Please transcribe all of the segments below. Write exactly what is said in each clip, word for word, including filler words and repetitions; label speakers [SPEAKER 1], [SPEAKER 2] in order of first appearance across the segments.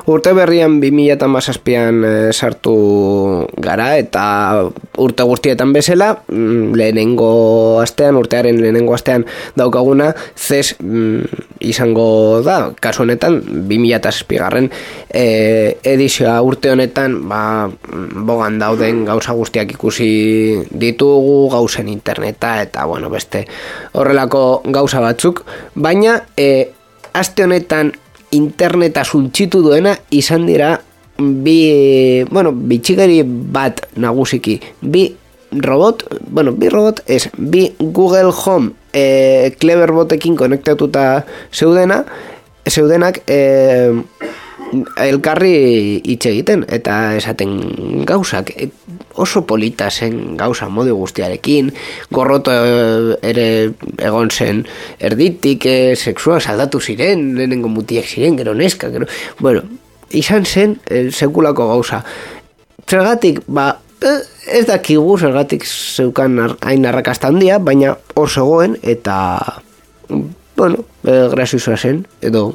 [SPEAKER 1] Urte berrian bi mila hamazazpian e, sartu gara eta urte guztietan bezala, lehenengo astean, urtearen lehenengo astean daukaguna, zez mm, izango da, kasu honetan, bi mila zazpigarren e, edizioa urte honetan, ba, bogan dauden gauza guztiak ikusi ditugu, gauzen interneta eta, bueno, beste horrelako gauza batzuk, baina e, aste honetan interneta suntxitu duena izan dira bi, bueno, bitxigari bat nagusiki, bi robot, bueno, bi robot ez, bi Google Home e, Cleverbotekin konektatuta zeudena, zeudenak e, elkarri hitz egiten eta esaten gauzak oso polita zen gauza modu guztiarekin, gorroto ere egon zen erditik, e, sexua saldatu ziren, lehenengo mutiak ziren, gero neska, gero, bueno, izan zen e, sekulako gauza. Zergatik, ba, ez dakigu zergatik zeukan hain arrakasta handia, baina hor zegoen eta, bueno, e, graziosoa zen, edo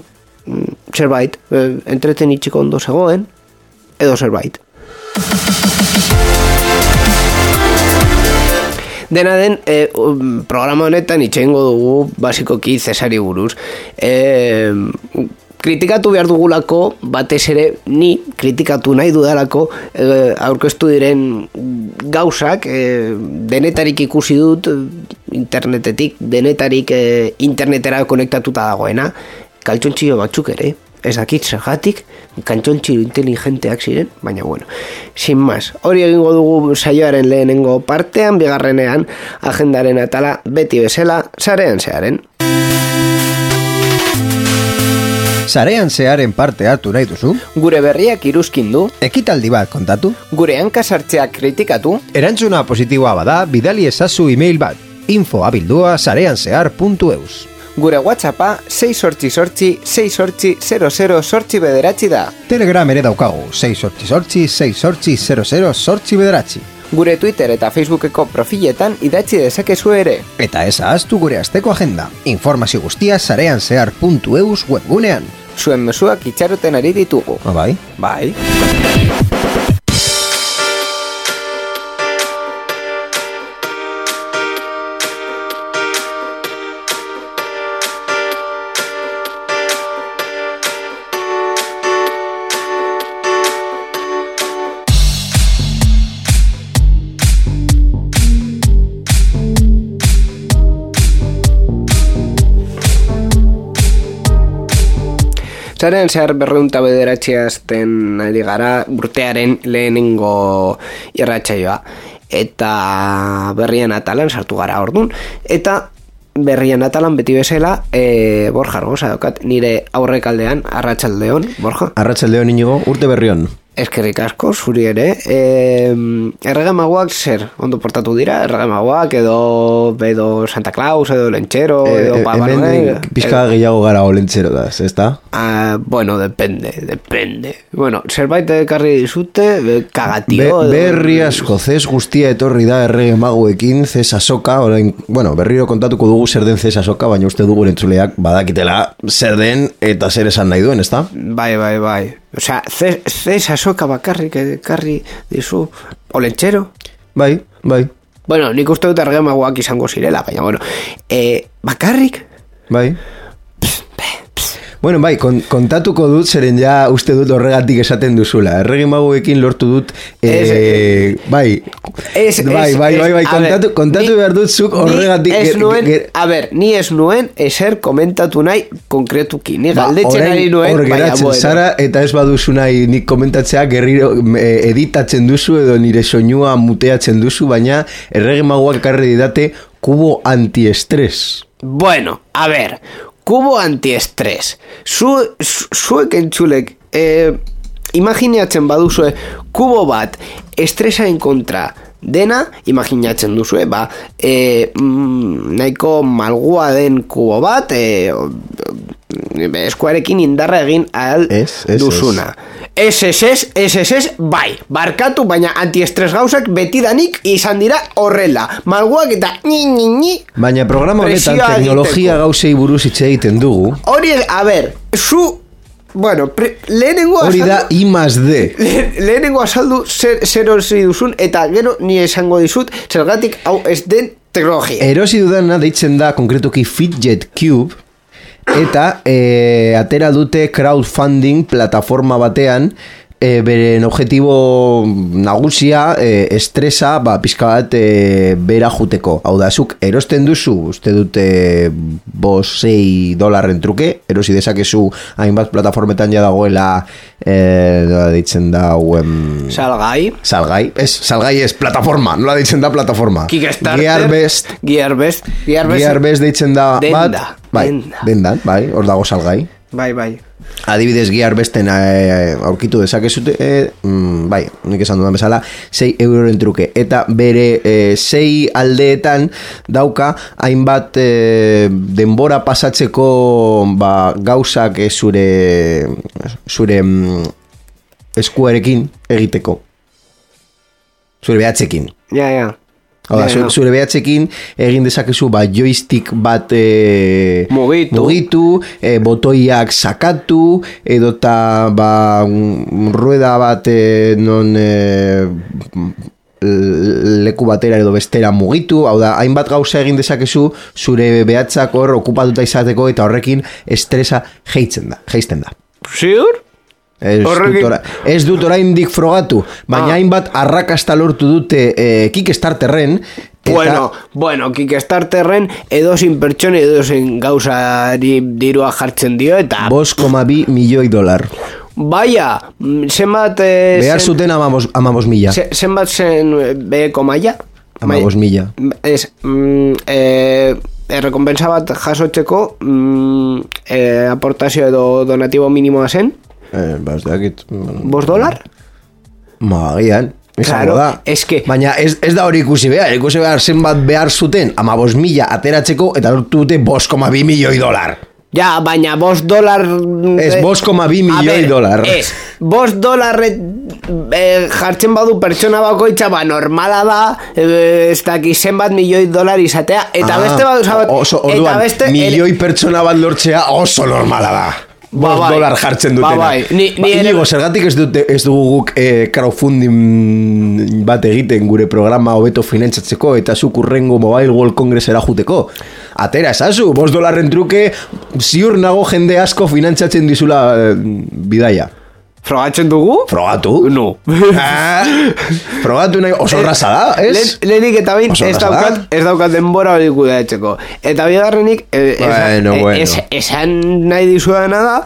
[SPEAKER 1] zerbait, e, entretenitzeko ondo zegoen, edo zerbait. Dena den, e, programa honetan itxengo dugu basikoki Zesari buruz. E, kritikatu behar dugulako, batez ere ni kritikatu nahi dudalako e, aurkeztu diren gauzak, e, denetarik ikusi dut internetetik, denetarik e, internetera konektatuta dagoena, kaltxontxillo batzuk ere, ez dakit zergatik, kantxontxillo inteligenteak ziren, baina bueno, sin más. Hori egingo dugu saioaren lehenengo partean, bigarrenean agendaren atala beti bezala, sarean zearen.
[SPEAKER 2] Sarean zearen parte hartu nahi duzu?
[SPEAKER 1] Gure berriak iruzkin du?
[SPEAKER 2] Ekitaldi bat kontatu?
[SPEAKER 1] Gure hankasartzeak kritikatu?
[SPEAKER 2] Erantzuna positiboa bada, bidali ezazu email bat, info abildua sareanzehar puntu eus.
[SPEAKER 1] Gure WhatsAppa sei sortzi sortzi sei sortzi zero zero sortzi bederatzi da.
[SPEAKER 2] Telegram ere daukagu, sei sortzi sortzi sei sortzi zero zero sortzi bederatzi.
[SPEAKER 1] Gure Twitter eta Facebookeko profiletan idatzi dezakezu ere.
[SPEAKER 2] Eta ez ahaztu gure asteko agenda. Informazio guztia sareanzehar puntu eus webgunean.
[SPEAKER 1] Zuen mezuak itxaroten ari ditugu.
[SPEAKER 2] Ah, bai?
[SPEAKER 1] Bai. Sarean zehar berreunta bederatzi azten ari gara urtearen lehenengo irratsaioa. Eta berrien atalan sartu gara ordun. Eta berrien atalan beti bezala, e, Borja Argosa daukat, nire aurrekaldean, arratsaldeon, Borja.
[SPEAKER 2] Arratsaldeon Inigo, urte berrion.
[SPEAKER 1] Eskerrik asko, zuri ere. E, erregemagoak zer, ondo portatu dira? Erregemagoak edo, edo Santa Claus, edo Lentxero, edo
[SPEAKER 2] e,
[SPEAKER 1] Papa Noel.
[SPEAKER 2] Hemen pizka gehiago gara o Lentxero da, ez da?
[SPEAKER 1] Ah, bueno, depende, depende. Bueno, zerbait ekarri dizute, kagatio.
[SPEAKER 2] Be, berri asko, zez guztia etorri da erregemagoekin, zez asoka, orain, bueno, berriro kontatuko dugu zer den zez asoka, baina uste dugu entzuleak badakitela zer den eta zer esan nahi duen, ez da?
[SPEAKER 1] Bai, bai, bai. Osea, zez asoka bakarrik ekarri dizu, Olentxero?
[SPEAKER 2] Bai, bai.
[SPEAKER 1] Bueno, nik uste dut erregemagoak izango zirela, baina, bueno, e, bakarrik?
[SPEAKER 2] Bai. Bueno, bai, kontatuko dut zeren ja uste dut horregatik esaten duzula. Erregemagoekin lortu dut, eh, bai,
[SPEAKER 1] es,
[SPEAKER 2] bai,
[SPEAKER 1] es,
[SPEAKER 2] bai, bai, bai,
[SPEAKER 1] es,
[SPEAKER 2] kontatu,
[SPEAKER 1] ver,
[SPEAKER 2] kontatu
[SPEAKER 1] ni,
[SPEAKER 2] behar dut zuk horregatik.
[SPEAKER 1] Es nuen, ger, a ber, ni ez nuen eser komentatu nahi konkretuki. Ni ba, galdetzen ari nuen,
[SPEAKER 2] hor geratzen
[SPEAKER 1] bueno.
[SPEAKER 2] Zara, eta ez baduzu nahi nik komentatzea gerriro editatzen duzu edo nire soinua muteatzen duzu, baina erregemagoak ekarri didate kubo antiestres.
[SPEAKER 1] Bueno, a ver, kubo antiestrés. Zu, zu, zuek entzulek, eh, imaginatzen baduzue kubo bat estresaren kontra dena, imaginatzen duzu, ba, e, mm, nahiko malgua den kubo bat, e, eskuarekin indarra egin ahal
[SPEAKER 2] es, es,
[SPEAKER 1] duzuna. Ez, ez, ez, ez, ez, ez, bai, barkatu, baina antiestres gauzak betidanik izan dira horrela. Malguak eta ni, ni, ni.
[SPEAKER 2] Baina programa honetan teknologia gauzei buruz hitz egiten dugu.
[SPEAKER 1] Hori, a ber, zu... Bueno, pre, lehenengo azaldu...
[SPEAKER 2] Hori da I más D.
[SPEAKER 1] Le, lehenengo azaldu zer, zer hori duzun, eta gero ni esango dizut, zergatik hau ez den teknologia.
[SPEAKER 2] Erosi dudana deitzen da konkretuki Fidget Cube, eta e, atera dute crowdfunding plataforma batean, e, beren objetibo nagusia e, estresa ba, pizka bat e, bera juteko. Hau da, zuk erosten duzu, uste dute bos sei dolarren truke, erosi dezakezu hainbat plataformetan ja dagoela e, nola deitzen da um,
[SPEAKER 1] Salgai.
[SPEAKER 2] Salgai, ez, salgai ez, plataforma, nola deitzen da plataforma.
[SPEAKER 1] Kickstarter.
[SPEAKER 2] Gearbest.
[SPEAKER 1] Gearbest. Gearbest.
[SPEAKER 2] Gearbest deitzen da
[SPEAKER 1] denda,
[SPEAKER 2] bat. Bai,
[SPEAKER 1] denda.
[SPEAKER 2] dendan, bai, hor dago salgai.
[SPEAKER 1] Bai, bai.
[SPEAKER 2] Adibidez Gearbesten e, aurkitu dezakezute, e, mm, bai, nik esan dudan bezala, sei euroren truke. Eta bere e, sei aldeetan dauka hainbat e, denbora pasatzeko ba, gauzak e, zure, zure mm, eskuarekin egiteko. Zure behatzekin.
[SPEAKER 1] Ja, ja.
[SPEAKER 2] Oda,
[SPEAKER 1] ja, ja.
[SPEAKER 2] Zure behatzekin egin dezakezu ba, joystick bat e,
[SPEAKER 1] mugitu,
[SPEAKER 2] mugitu e, botoiak sakatu, edota ba, rueda bat e, non e, leku batera edo bestera mugitu, hau da, hainbat gauza egin dezakezu zure behatzak hor okupatuta izateko, eta horrekin estresa jeitzen da, jeisten da.
[SPEAKER 1] Ziur?
[SPEAKER 2] Ez dut, ora, ez dut oraindik frogatu, baina hainbat ah. arrakasta lortu dute e, Kickstarterren. Eta...
[SPEAKER 1] Bueno, bueno, Kickstarterren edozin pertsone edozin gauzari dirua jartzen dio, eta...
[SPEAKER 2] bost koma bi milioi dolar.
[SPEAKER 1] Baia, zenbat... Eh,
[SPEAKER 2] behar zuten amabos, amabos mila.
[SPEAKER 1] Se, zenbat zen beheko maia?
[SPEAKER 2] Amabos mila.
[SPEAKER 1] Ez, mm, eh... errekompensa bat jasotzeko mm, eh, aportazio edo donatibo minimoa zen?
[SPEAKER 2] Eh, bas, dakit...
[SPEAKER 1] Bos dolar?
[SPEAKER 2] Ma, gian,
[SPEAKER 1] claro,
[SPEAKER 2] da.
[SPEAKER 1] Es que...
[SPEAKER 2] Baina ez, ez da hori ikusi behar, ikusi behar zenbat behar zuten, ama bos mila ateratzeko, eta lortu dute bos koma bi milioi dolar.
[SPEAKER 1] Ja, baina bos dolar...
[SPEAKER 2] Ez, bos koma bi milioi dolar.
[SPEAKER 1] Ez, bos dolar eh, jartzen badu pertsona bakoitza, ba, normala da, eh, ez daki zenbat milioi dolar izatea, eta ah, beste badu zabat...
[SPEAKER 2] Oso, orduan, eta beste... milioi pertsona bat lortzea oso normala da. Ba, bai. Dolar jartzen dutena.
[SPEAKER 1] Ba, bai. Ni, ni
[SPEAKER 2] ba, inigo, zergatik ez, dute, ez dugu guk eh, crowdfunding bat egiten gure programa hobeto finantzatzeko eta zuk urrengo Mobile World Congressera juteko. Atera esazu, bost dolarren truke ziur nago jende asko finantzatzen dizula eh, bidaia.
[SPEAKER 1] Frogatzen dugu?
[SPEAKER 2] Frogatu?
[SPEAKER 1] No.
[SPEAKER 2] Ah, frogatu nahi oso raza da, ez?
[SPEAKER 1] Lehenik eta bain ez daukat, ez daukat denbora hori kudeatzeko. Eta bigarrenik eh,
[SPEAKER 2] bueno,
[SPEAKER 1] es,
[SPEAKER 2] bueno.
[SPEAKER 1] es, esan nahi dizuedana da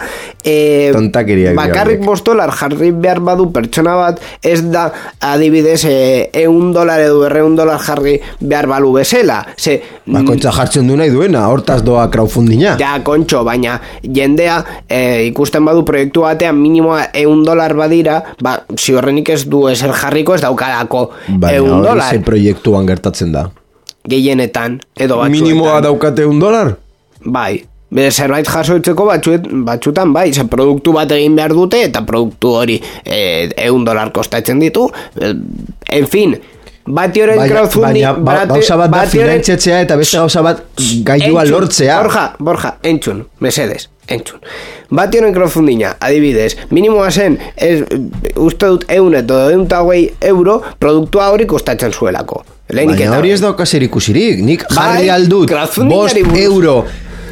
[SPEAKER 1] eh, bakarrik bost dolar jarri behar badu pertsona bat ez da adibidez eh, eun dolar edo berreun dolar jarri behar balu bezala. Ze,
[SPEAKER 2] ba, kontxa jartzen du nahi duena, hortaz doa crowdfundinga.
[SPEAKER 1] Ja, kontxo, baina jendea eh, ikusten badu proiektu batean minimoa eun dolar badira, ba, ziorrenik ez du eser jarriko ez daukalako eun dolar.
[SPEAKER 2] Baina hori proiektuan gertatzen da.
[SPEAKER 1] Gehienetan, edo batzuetan.
[SPEAKER 2] Minimoa daukate eun dolar?
[SPEAKER 1] Bai, zerbait jasoitzeko batzuet, batzutan bai, ze produktu bat egin behar dute eta produktu hori eh, eun dolar kostatzen ditu. Eh, en fin, bati horren crowdfunding...
[SPEAKER 2] Baina ba, gauza bat da finantziatzea eta beste gauza bat gailua lortzea.
[SPEAKER 1] Borja, Borja, entzun, mesedes, entzun. Bati horren crowdfundinga, adibidez, minimoa zen, ez, uste dut eun edo eun eta hogei euro, produktua hori kostatzen zuelako.
[SPEAKER 2] Baina hori ez dauka zer ikusirik, nik jarri aldut bost euro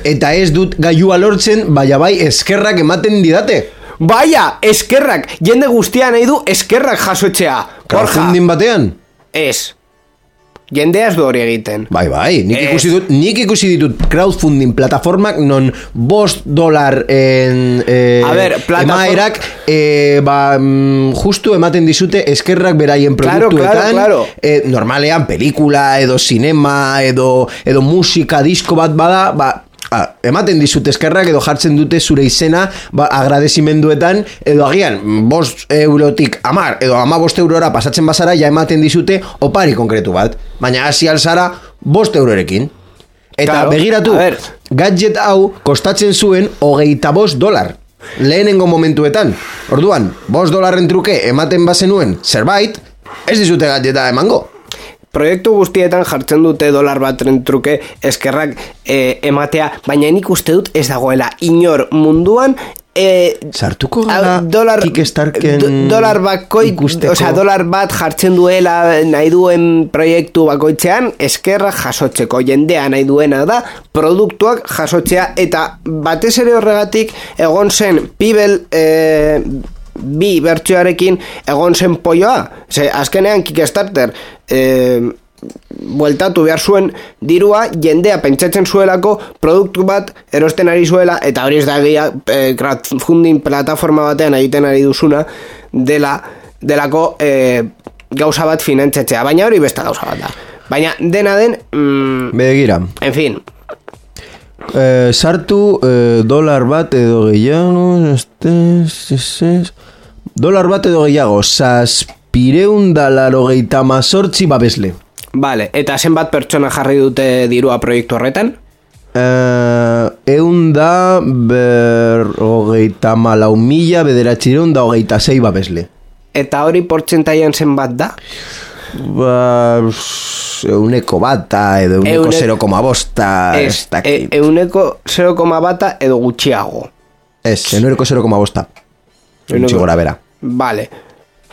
[SPEAKER 2] eta ez dut gailua lortzen, baina bai eskerrak ematen didate.
[SPEAKER 1] Baina, eskerrak, jende guztia nahi du eskerrak jasotzea.
[SPEAKER 2] Crowdfunding batean?
[SPEAKER 1] Ez. Jendea ez du hori egiten.
[SPEAKER 2] Bai, bai, nik ikusi, dut, nik ikusi ditut crowdfunding plataformak non bost dolar en, eh,
[SPEAKER 1] ver, plataform...
[SPEAKER 2] emaerak eh, ba, justu ematen dizute eskerrak beraien produktuetan.
[SPEAKER 1] Claro, claro, claro.
[SPEAKER 2] Eh, normalean pelikula edo cinema edo, edo musika disko bat bada, ba, ah, ematen dizute eskerrak edo jartzen dute zure izena ba, agradezimenduetan edo agian bost eurotik amar edo ama bost eurora pasatzen bazara ja ematen dizute opari konkretu bat, baina hasi alzara bost eurorekin. Eta claro, begiratu, gadget hau kostatzen zuen hogeita bost dolar. Lehenengo momentuetan. Orduan, bost dolarren truke ematen bazenuen zerbait, ez dizute gadgeta emango.
[SPEAKER 1] Proiektu guztietan jartzen dute dolar batren truke eskerrak eh, ematea, baina nik uste dut ez dagoela inor munduan eh,
[SPEAKER 2] sartuko gara
[SPEAKER 1] dolar,
[SPEAKER 2] Kickstarken
[SPEAKER 1] do, dolar bakoi, osea, dolar bat jartzen duela nahi duen proiektu bakoitzean eskerrak jasotzeko, jendea nahi duena da produktuak jasotzea, eta batez ere horregatik egon zen Pibel eh, bi bertsioarekin egon zen polloa. Ze, azkenean Kickstarter eh, bueltatu behar zuen dirua, jendea pentsatzen zuelako produktu bat erosten ari zuela, eta hori ez da egia eh, crowdfunding plataforma batean egiten ari duzuna dela, delako eh, gauza bat finantzatzea, baina hori beste gauza bat da. Baina dena den mm,
[SPEAKER 2] begira,
[SPEAKER 1] en fin,
[SPEAKER 2] Eh, sartu eh, dolar bat edo gehiago este, este, dolar bat edo gehiago zazpireun da larogeita mazortzi babesle.
[SPEAKER 1] Vale, eta zenbat pertsona jarri dute dirua proiektu horretan?
[SPEAKER 2] Eh, eun da berrogeita malau mila bederatzireun da hogeita zei babesle.
[SPEAKER 1] Eta hori portzentaian zenbat da?
[SPEAKER 2] Ba, euneko bata edo euneko zero koma bosta
[SPEAKER 1] ez, e, euneko zero koma bata edo gutxiago.
[SPEAKER 2] Ez, euneko zero koma bosta gutxi gora bera.
[SPEAKER 1] Vale.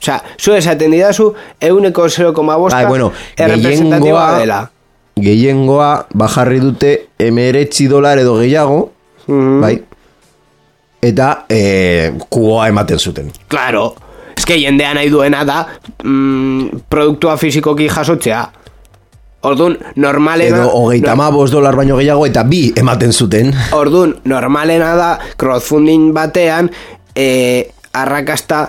[SPEAKER 1] Osea, zu esaten didazu euneko zero koma bosta
[SPEAKER 2] bueno,
[SPEAKER 1] errepresentatiba dela.
[SPEAKER 2] Gehiengoa bajarri dute emeretzi dolar edo gehiago, mm-hmm. bai? Eta eh, kuboa ematen zuten.
[SPEAKER 1] Claro. Ez que jendea nahi duena da mm, produktua fizikoki jasotzea. Orduan, normalena...
[SPEAKER 2] Edo hogeita no, bost dolar baino gehiago eta bi ematen zuten.
[SPEAKER 1] Orduan, normalena da crowdfunding batean eh, arrakasta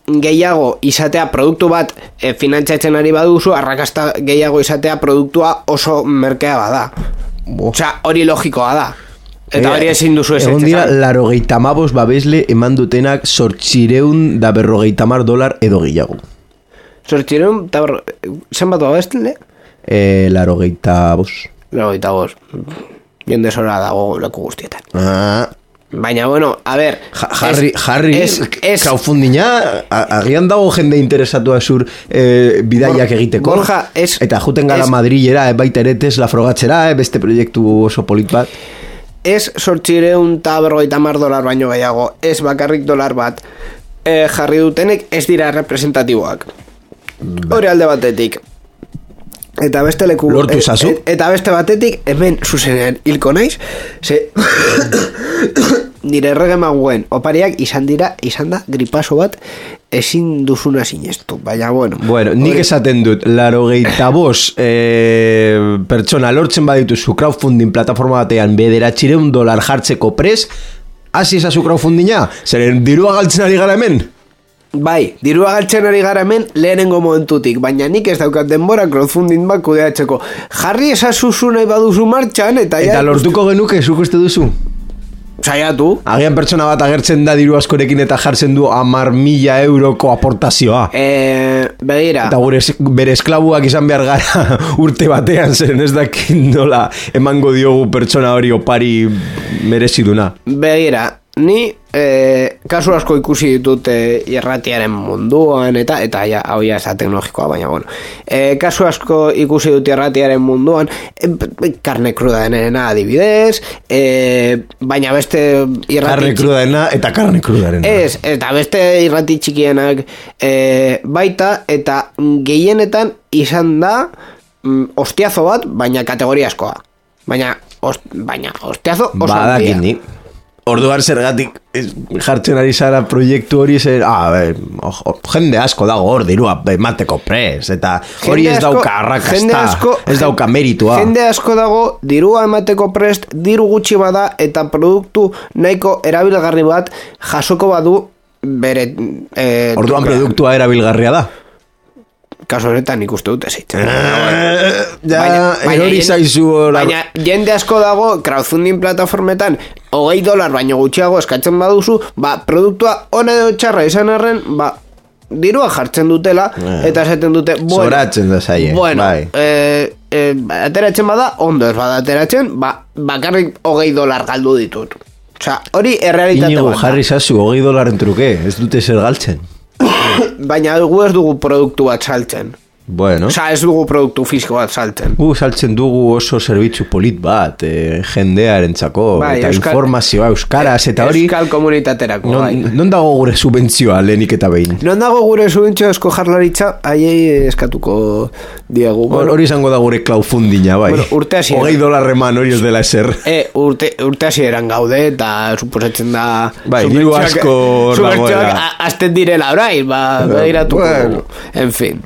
[SPEAKER 1] gehiago izatea produktu bat eh, finantzatzen ari baduzu, arrakasta gehiago izatea produktua oso merkea bada. Osea, hori logikoa da. Eta hori ezin duzu ez.
[SPEAKER 2] Egon dira, larogeita mabos babesle eman dutenak sortxireun da berrogeita mar dolar edo gehiago.
[SPEAKER 1] Sortxireun da berrogeita... Zenbat babesle?
[SPEAKER 2] Eh, larogeita bos.
[SPEAKER 1] Larogeita bos. Jende zora dago leku guztietan.
[SPEAKER 2] Ah...
[SPEAKER 1] Baina, bueno, a ver...
[SPEAKER 2] Ja, Harry, es, Harry, es, es, crowdfundinga, agian dago jende interesatua zur eh, bidaiak egiteko.
[SPEAKER 1] Borja, es...
[SPEAKER 2] Eta juten gara Madrilera, eh, baita ere Tesla frogatzera, eh, beste proiektu oso polit bat.
[SPEAKER 1] Ez sortxireun eta berrogeita mar dolar baino gehiago, ez bakarrik dolar bat eh, jarri dutenek ez dira representatiboak. Hori alde batetik. Eta beste leku...
[SPEAKER 2] Lortu zazu?
[SPEAKER 1] Et, eta beste batetik, hemen zuzenean hilko naiz, ze... nire errege maguen opariak izan dira, izan da gripaso bat ezin duzuna sinestu, baina bueno.
[SPEAKER 2] Bueno, nik esaten dut, larogeita bos eh, pertsona lortzen badituzu crowdfunding plataforma batean bederatzireun dolar jartzeko pres, hasi ezazu crowdfundinga, zeren dirua galtzen ari gara hemen?
[SPEAKER 1] Bai, dirua galtzen ari gara hemen lehenengo momentutik, baina nik ez daukat denbora crowdfunding bat kudeatzeko. Jarri ezazuzu nahi baduzu martxan, eta...
[SPEAKER 2] Eta ja, lortuko genuke, zuk uste duzu?
[SPEAKER 1] Saiatu.
[SPEAKER 2] Agian pertsona bat agertzen da diru askorekin eta jartzen du hamar mila euroko aportazioa.
[SPEAKER 1] Eh, begira.
[SPEAKER 2] Eta gure bere esklabuak izan behar gara urte batean, zeren ez dakin nola emango diogu pertsona hori opari mereziduna.
[SPEAKER 1] Begira, ni eh, kasu asko ikusi ditut eh, irratiaren munduan, eta eta ja, hau ja ez da teknologikoa, baina bueno. Eh, kasu asko ikusi dut irratiaren munduan, eh, karne kruda denena adibidez, eh, baina beste irrati...
[SPEAKER 2] Karne kruda dena eta karne kruda denena.
[SPEAKER 1] Ez, eta beste irrati txikienak eh, baita, eta gehienetan izan da mm, ostiazo bat, baina kategoriaskoa. Baina, ost, baina ostiazo oso
[SPEAKER 2] badakin ni. Orduan zergatik jartzen ari zara proiektu hori zer, ah, be, oh, jende asko dago hor dirua emateko pres, eta hori ez dauka arrakasta, ez dauka meritua.
[SPEAKER 1] Jende asko dago dirua emateko prest, diru gutxi bada, eta produktu nahiko erabilgarri bat jasoko badu bere...
[SPEAKER 2] Eh, Orduan produktua erabilgarria da?
[SPEAKER 1] kaso honetan ikuste dute zeitzen.
[SPEAKER 2] Ja, erori zaizu hola.
[SPEAKER 1] Baina jende asko dago crowdfunding plataformetan hogei dolar baino gutxiago eskatzen baduzu, ba, produktua ona edo txarra izan arren, ba, dirua jartzen dutela, eta esaten dute, bueno,
[SPEAKER 2] zoratzen da zaie,
[SPEAKER 1] bueno,
[SPEAKER 2] bai.
[SPEAKER 1] eh, eh, ateratzen bada, ondo ez bada ateratzen, ba, bakarrik hogei dolar galdu ditut. Osea, hori errealitate
[SPEAKER 2] Inigo,
[SPEAKER 1] bat da.
[SPEAKER 2] jarri zazu, hogei dolaren truke, ez dute zer galtzen.
[SPEAKER 1] Baina gu ez dugu produktu bat saltzen.
[SPEAKER 2] Bueno.
[SPEAKER 1] Osa, ez dugu produktu fisiko bat saltzen.
[SPEAKER 2] Gu saltzen dugu oso zerbitzu polit bat, eh, jendearentzako,
[SPEAKER 1] Bai,
[SPEAKER 2] eta
[SPEAKER 1] euskal,
[SPEAKER 2] informazioa euskaraz, eta hori...
[SPEAKER 1] Euskal komunitaterako,
[SPEAKER 2] non,
[SPEAKER 1] bai.
[SPEAKER 2] non dago gure subentzioa lehenik eta behin?
[SPEAKER 1] Non dago gure subentzio esko jarlaritza, haiei eskatuko diegu.
[SPEAKER 2] Bueno, hori izango da gure crowdfundinga, bai.
[SPEAKER 1] Bueno, urte hasieran.
[SPEAKER 2] Hogei dolarreman hori ez dela eser.
[SPEAKER 1] E, urte, urte hasieran gaude, eta suposatzen da...
[SPEAKER 2] Bai, diru asko
[SPEAKER 1] Subertsioak
[SPEAKER 2] dagoela.
[SPEAKER 1] azten direla orain, ba, behiratuko.
[SPEAKER 2] Bueno.
[SPEAKER 1] En fin.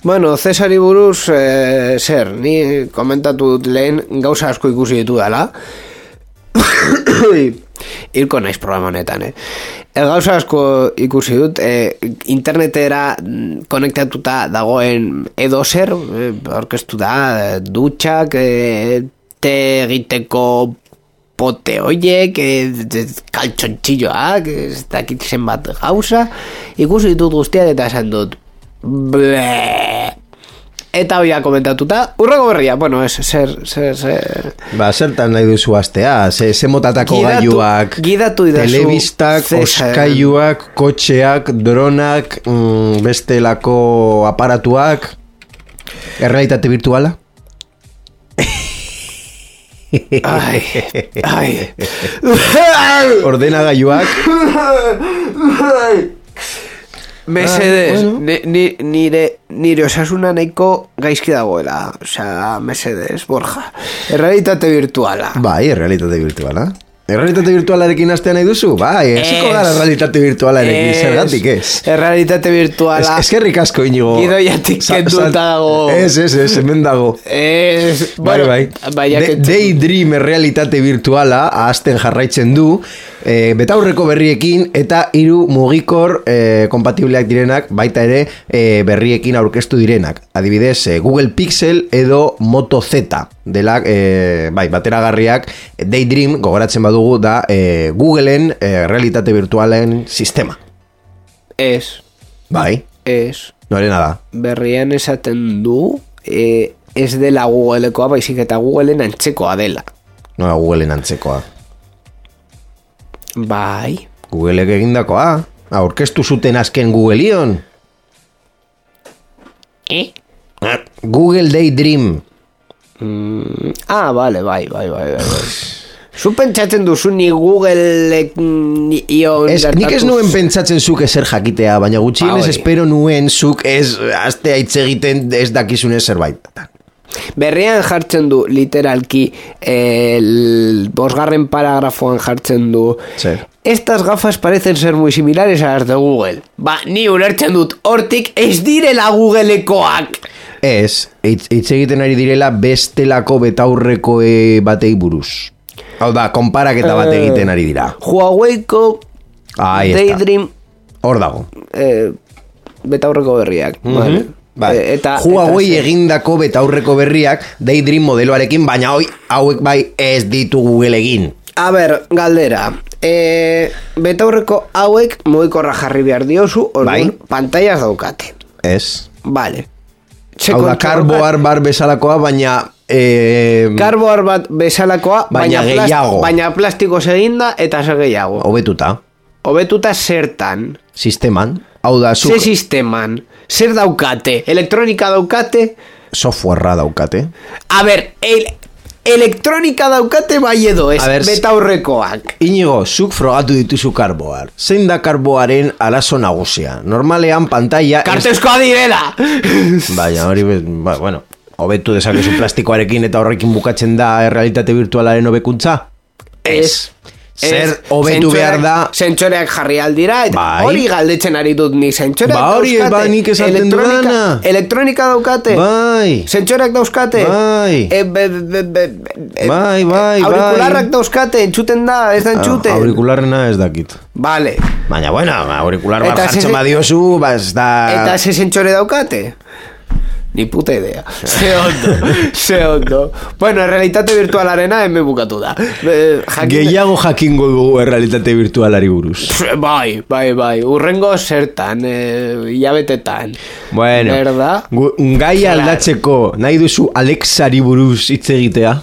[SPEAKER 1] Bueno, Cesari buruz, eh, zer, ni komentatu dut lehen gauza asko ikusi ditu dela. Irko naiz programa honetan, eh. E, gauza asko ikusi dut, eh, internetera konektatuta dagoen edo zer, eh, orkestu da, eh, dutxak, eh, te egiteko pote hoiek, eh, kaltxontxilloak, ez dakit zenbat gauza, ikusi ditut guztiak eta esan dut, ble. Eta hoia komentatuta, urrego berria, bueno, ez, zer, zer, zer...
[SPEAKER 2] Ba, zertan nahi duzu astea, ze, ze motatako
[SPEAKER 1] Gidatu-
[SPEAKER 2] gailuak,
[SPEAKER 1] gidatu idazu,
[SPEAKER 2] telebistak,
[SPEAKER 1] Cesar.
[SPEAKER 2] oskailuak, kotxeak, dronak, mm, bestelako aparatuak, errealitate virtuala?
[SPEAKER 1] Ai, ai.
[SPEAKER 2] Ordenagailuak,
[SPEAKER 1] Mesedez,
[SPEAKER 2] Ah, bueno.
[SPEAKER 1] ni, ni, nire, nire osasuna nahiko gaizki dagoela. Osea, mesedez, Borja. Errealitate virtuala.
[SPEAKER 2] bai, errealitate virtuala. Errealitate virtualarekin astea nahi duzu? Bai, hasiko
[SPEAKER 1] Ez.
[SPEAKER 2] gara errealitate virtualarekin,
[SPEAKER 1] Ez.
[SPEAKER 2] zergatik ez.
[SPEAKER 1] Errealitate virtuala.
[SPEAKER 2] Ez, eskerrik asko, Inigo.
[SPEAKER 1] Gidoiatik
[SPEAKER 2] Sa-
[SPEAKER 1] kenduta
[SPEAKER 2] sa-
[SPEAKER 1] dago.
[SPEAKER 2] Ez, ez, ez, hemen dago.
[SPEAKER 1] Ez,
[SPEAKER 2] Bai,
[SPEAKER 1] bueno,
[SPEAKER 2] bai.
[SPEAKER 1] Baina
[SPEAKER 2] De-
[SPEAKER 1] kentzen-
[SPEAKER 2] Daydream errealitate virtuala ahazten jarraitzen du, e, betaurreko berriekin eta hiru mugikor e, kompatibleak direnak, baita ere e, berriekin aurkeztu direnak. Adibidez, e, Google Pixel edo Moto Z dela, e, bai, bateragarriak. Daydream, gogoratzen badugu, da e, Googleen e, realitate virtualen sistema.
[SPEAKER 1] Ez,
[SPEAKER 2] Bai,
[SPEAKER 1] ez.
[SPEAKER 2] norena da.
[SPEAKER 1] Berrian esaten du, eh, ez dela Googlekoa, baizik eta Googleen antzekoa dela.
[SPEAKER 2] Nola Googleen antzekoa.
[SPEAKER 1] Bai.
[SPEAKER 2] Googleek egindakoa. Aurkeztu zuten azken Googleion.
[SPEAKER 1] Eh?
[SPEAKER 2] Google Daydream.
[SPEAKER 1] Mm, ah, vale, bai, bai, bai, bai. bai. Zu pentsatzen duzu ni Google ni ion
[SPEAKER 2] Ez, nik ez
[SPEAKER 1] gertatu-
[SPEAKER 2] nuen pentsatzen zuk ezer jakitea, baina gutxienez
[SPEAKER 1] Ah, bai.
[SPEAKER 2] espero nuen zuk ez astea hitz egiten ez dakizunez zerbait.
[SPEAKER 1] Berrian jartzen du literalki el bosgarren paragrafoan jartzen du
[SPEAKER 2] Zer.
[SPEAKER 1] estas gafas parecen ser muy similares a las de Google. Ba, ni ulertzen dut hortik ez direla Googlekoak.
[SPEAKER 2] Ez, hitz hitz egiten ari direla bestelako betaurreko e, batei buruz. Hau da, konparaketa bat egiten ari dira.
[SPEAKER 1] Huawei-ko
[SPEAKER 2] Ahí está.
[SPEAKER 1] Daydream
[SPEAKER 2] Hor dago.
[SPEAKER 1] eh, betaurreko berriak. Vale.
[SPEAKER 2] Bai.
[SPEAKER 1] Eh, eta,
[SPEAKER 2] Huawei
[SPEAKER 1] eta,
[SPEAKER 2] egindako betaurreko berriak Daydream modeloarekin, baina hoi hauek bai ez ditu Google egin.
[SPEAKER 1] A ber, galdera. E, betaurreko hauek mugikorra jarri behar diozu, orduan,
[SPEAKER 2] Bai.
[SPEAKER 1] pantailas daukate.
[SPEAKER 2] Ez.
[SPEAKER 1] Vale.
[SPEAKER 2] Hau da, karboar bar bezalakoa, baina... Eh,
[SPEAKER 1] Karboar bat bezalakoa,
[SPEAKER 2] Baina
[SPEAKER 1] baina, plast-
[SPEAKER 2] gehiago.
[SPEAKER 1] baina plastikoz eginda eta zer gehiago.
[SPEAKER 2] hobetuta,
[SPEAKER 1] Hobetuta zertan,
[SPEAKER 2] sisteman. Hau da,
[SPEAKER 1] ze
[SPEAKER 2] zuk
[SPEAKER 1] sisteman, zer daukate, elektronika daukate,
[SPEAKER 2] softwarea daukate.
[SPEAKER 1] a ber, el, elektronika daukate bai edo ez,
[SPEAKER 2] A ber,
[SPEAKER 1] betaurrekoak.
[SPEAKER 2] Inigo, zuk frogatu dituzu karboar. Zein da karboaren arazo nagusia? Normalean pantalla... ez-
[SPEAKER 1] Kartezkoa direla!
[SPEAKER 2] Baina hori, be- ba, bueno, hobetu dezakezu plastikoarekin eta horrekin bukatzen da errealitate virtualaren hobekuntza?
[SPEAKER 1] Ez.
[SPEAKER 2] zer hobetu behar da.
[SPEAKER 1] Sentsoreak jarri aldira, eta
[SPEAKER 2] bai.
[SPEAKER 1] hori galdetzen ari dut ni. Sentsoreak
[SPEAKER 2] ba, hori
[SPEAKER 1] dauzkate.
[SPEAKER 2] Ba, nik esaten dudana.
[SPEAKER 1] Elektronika daukate.
[SPEAKER 2] Bai.
[SPEAKER 1] Sentsoreak dauzkate.
[SPEAKER 2] Bai.
[SPEAKER 1] E, be, be, be, be,
[SPEAKER 2] bai, bai,
[SPEAKER 1] aurikularrak
[SPEAKER 2] bai.
[SPEAKER 1] dauzkate, entzuten da, ez da entzuten.
[SPEAKER 2] Aurikularrena ez dakit.
[SPEAKER 1] Vale.
[SPEAKER 2] Baina, bueno, aurikular bat jartzen badiozu, ba ez da...
[SPEAKER 1] Eta ze sentsore daukate? Ni puta idea. Ze ondo, ze ondo. Bueno, realitate virtualarena hemen bukatu da.
[SPEAKER 2] Jakin... Gehiago jakingo dugu realitate virtualari buruz.
[SPEAKER 1] Bai, bai, bai. Urrengo zertan, eh, hilabetetan.
[SPEAKER 2] Bueno, gai aldatzeko nahi duzu Alexari buruz hitz egitea?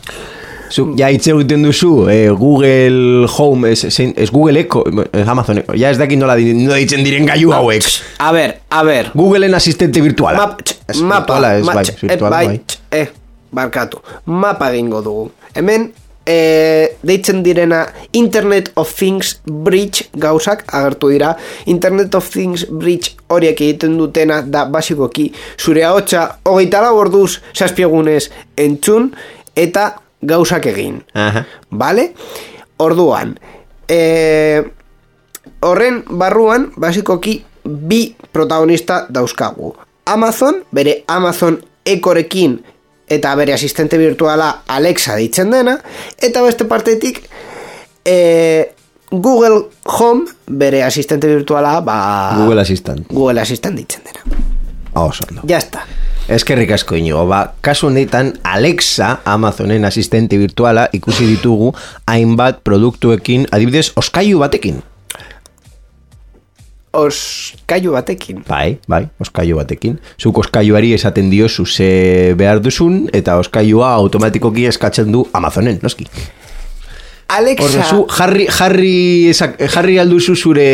[SPEAKER 2] Zu, ja hitz egiten duzu eh, Google Home es, es Google Echo es Amazon Echo. Ja ez dakit nola ditzen diren gailu hauek.
[SPEAKER 1] A ver, a ver
[SPEAKER 2] Googleen asistente virtuala.
[SPEAKER 1] Map,
[SPEAKER 2] es
[SPEAKER 1] mapa
[SPEAKER 2] virtuala, es,
[SPEAKER 1] ma,
[SPEAKER 2] bai, virtuala,
[SPEAKER 1] bai,
[SPEAKER 2] bai.
[SPEAKER 1] Eh, barkatu. Mapa egingo dugu. Hemen eh, deitzen direna Internet of Things Bridge gauzak agertu dira. Internet of Things Bridge horiek egiten dutena da basikoki zure ahotsa hogeita lau orduz zazpiegunez entzun eta gauzak egin.
[SPEAKER 2] Aha.
[SPEAKER 1] Vale? Orduan, eh, horren barruan, basikoki, bi protagonista dauzkagu. Amazon, bere Amazon Echorekin eta bere asistente virtuala Alexa ditzen dena, eta beste partetik, eh, Google Home, bere asistente virtuala, ba...
[SPEAKER 2] Google Assistant.
[SPEAKER 1] Google Assistant ditzen dena.
[SPEAKER 2] Oh, no.
[SPEAKER 1] Ya está.
[SPEAKER 2] Eskerrik asko inigo, ba, kasu honetan Alexa, Amazonen asistente virtuala, ikusi ditugu hainbat produktuekin, adibidez, oskailu batekin.
[SPEAKER 1] Oskailu batekin?
[SPEAKER 2] Bai, bai, oskailu batekin. Zuk oskailuari esaten diozu ze behar duzun, eta oskailua automatikoki eskatzen du Amazonen, noski.
[SPEAKER 1] Alexa...
[SPEAKER 2] Horre, zu, jarri, jarri, jarri alduzu zure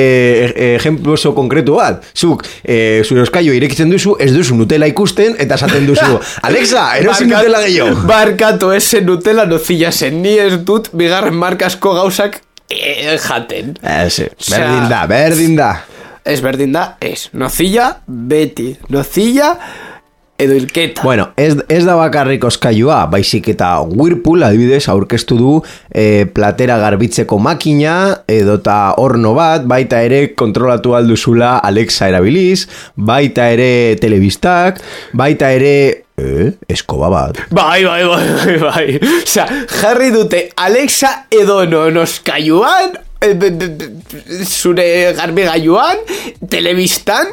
[SPEAKER 2] ejemplo oso konkretu bat. Zuk, e, zure oskailu irekitzen duzu, ez duzu Nutella ikusten, eta esaten duzu, Alexa, erosi Nutella gehiago.
[SPEAKER 1] Barkatu, ese Nutella nozilla zen, ni ez dut bigarren markasko gauzak e, jaten.
[SPEAKER 2] Ez, berdin da, berdin da.
[SPEAKER 1] Ez berdin da, ez. Nozilla, beti. Nozilla... edo ilketa.
[SPEAKER 2] Bueno, ez, ez da bakarrik oskailua, baizik eta Whirlpool adibidez aurkeztu du e, platera garbitzeko makina edota horno bat, baita ere kontrolatu alduzula Alexa erabiliz, baita ere telebistak, baita ere eh, eskoba bat.
[SPEAKER 1] Bai, bai, bai, bai, bai. Osea, jarri dute Alexa edo non oskailuan, zure garbigailuan, telebistan,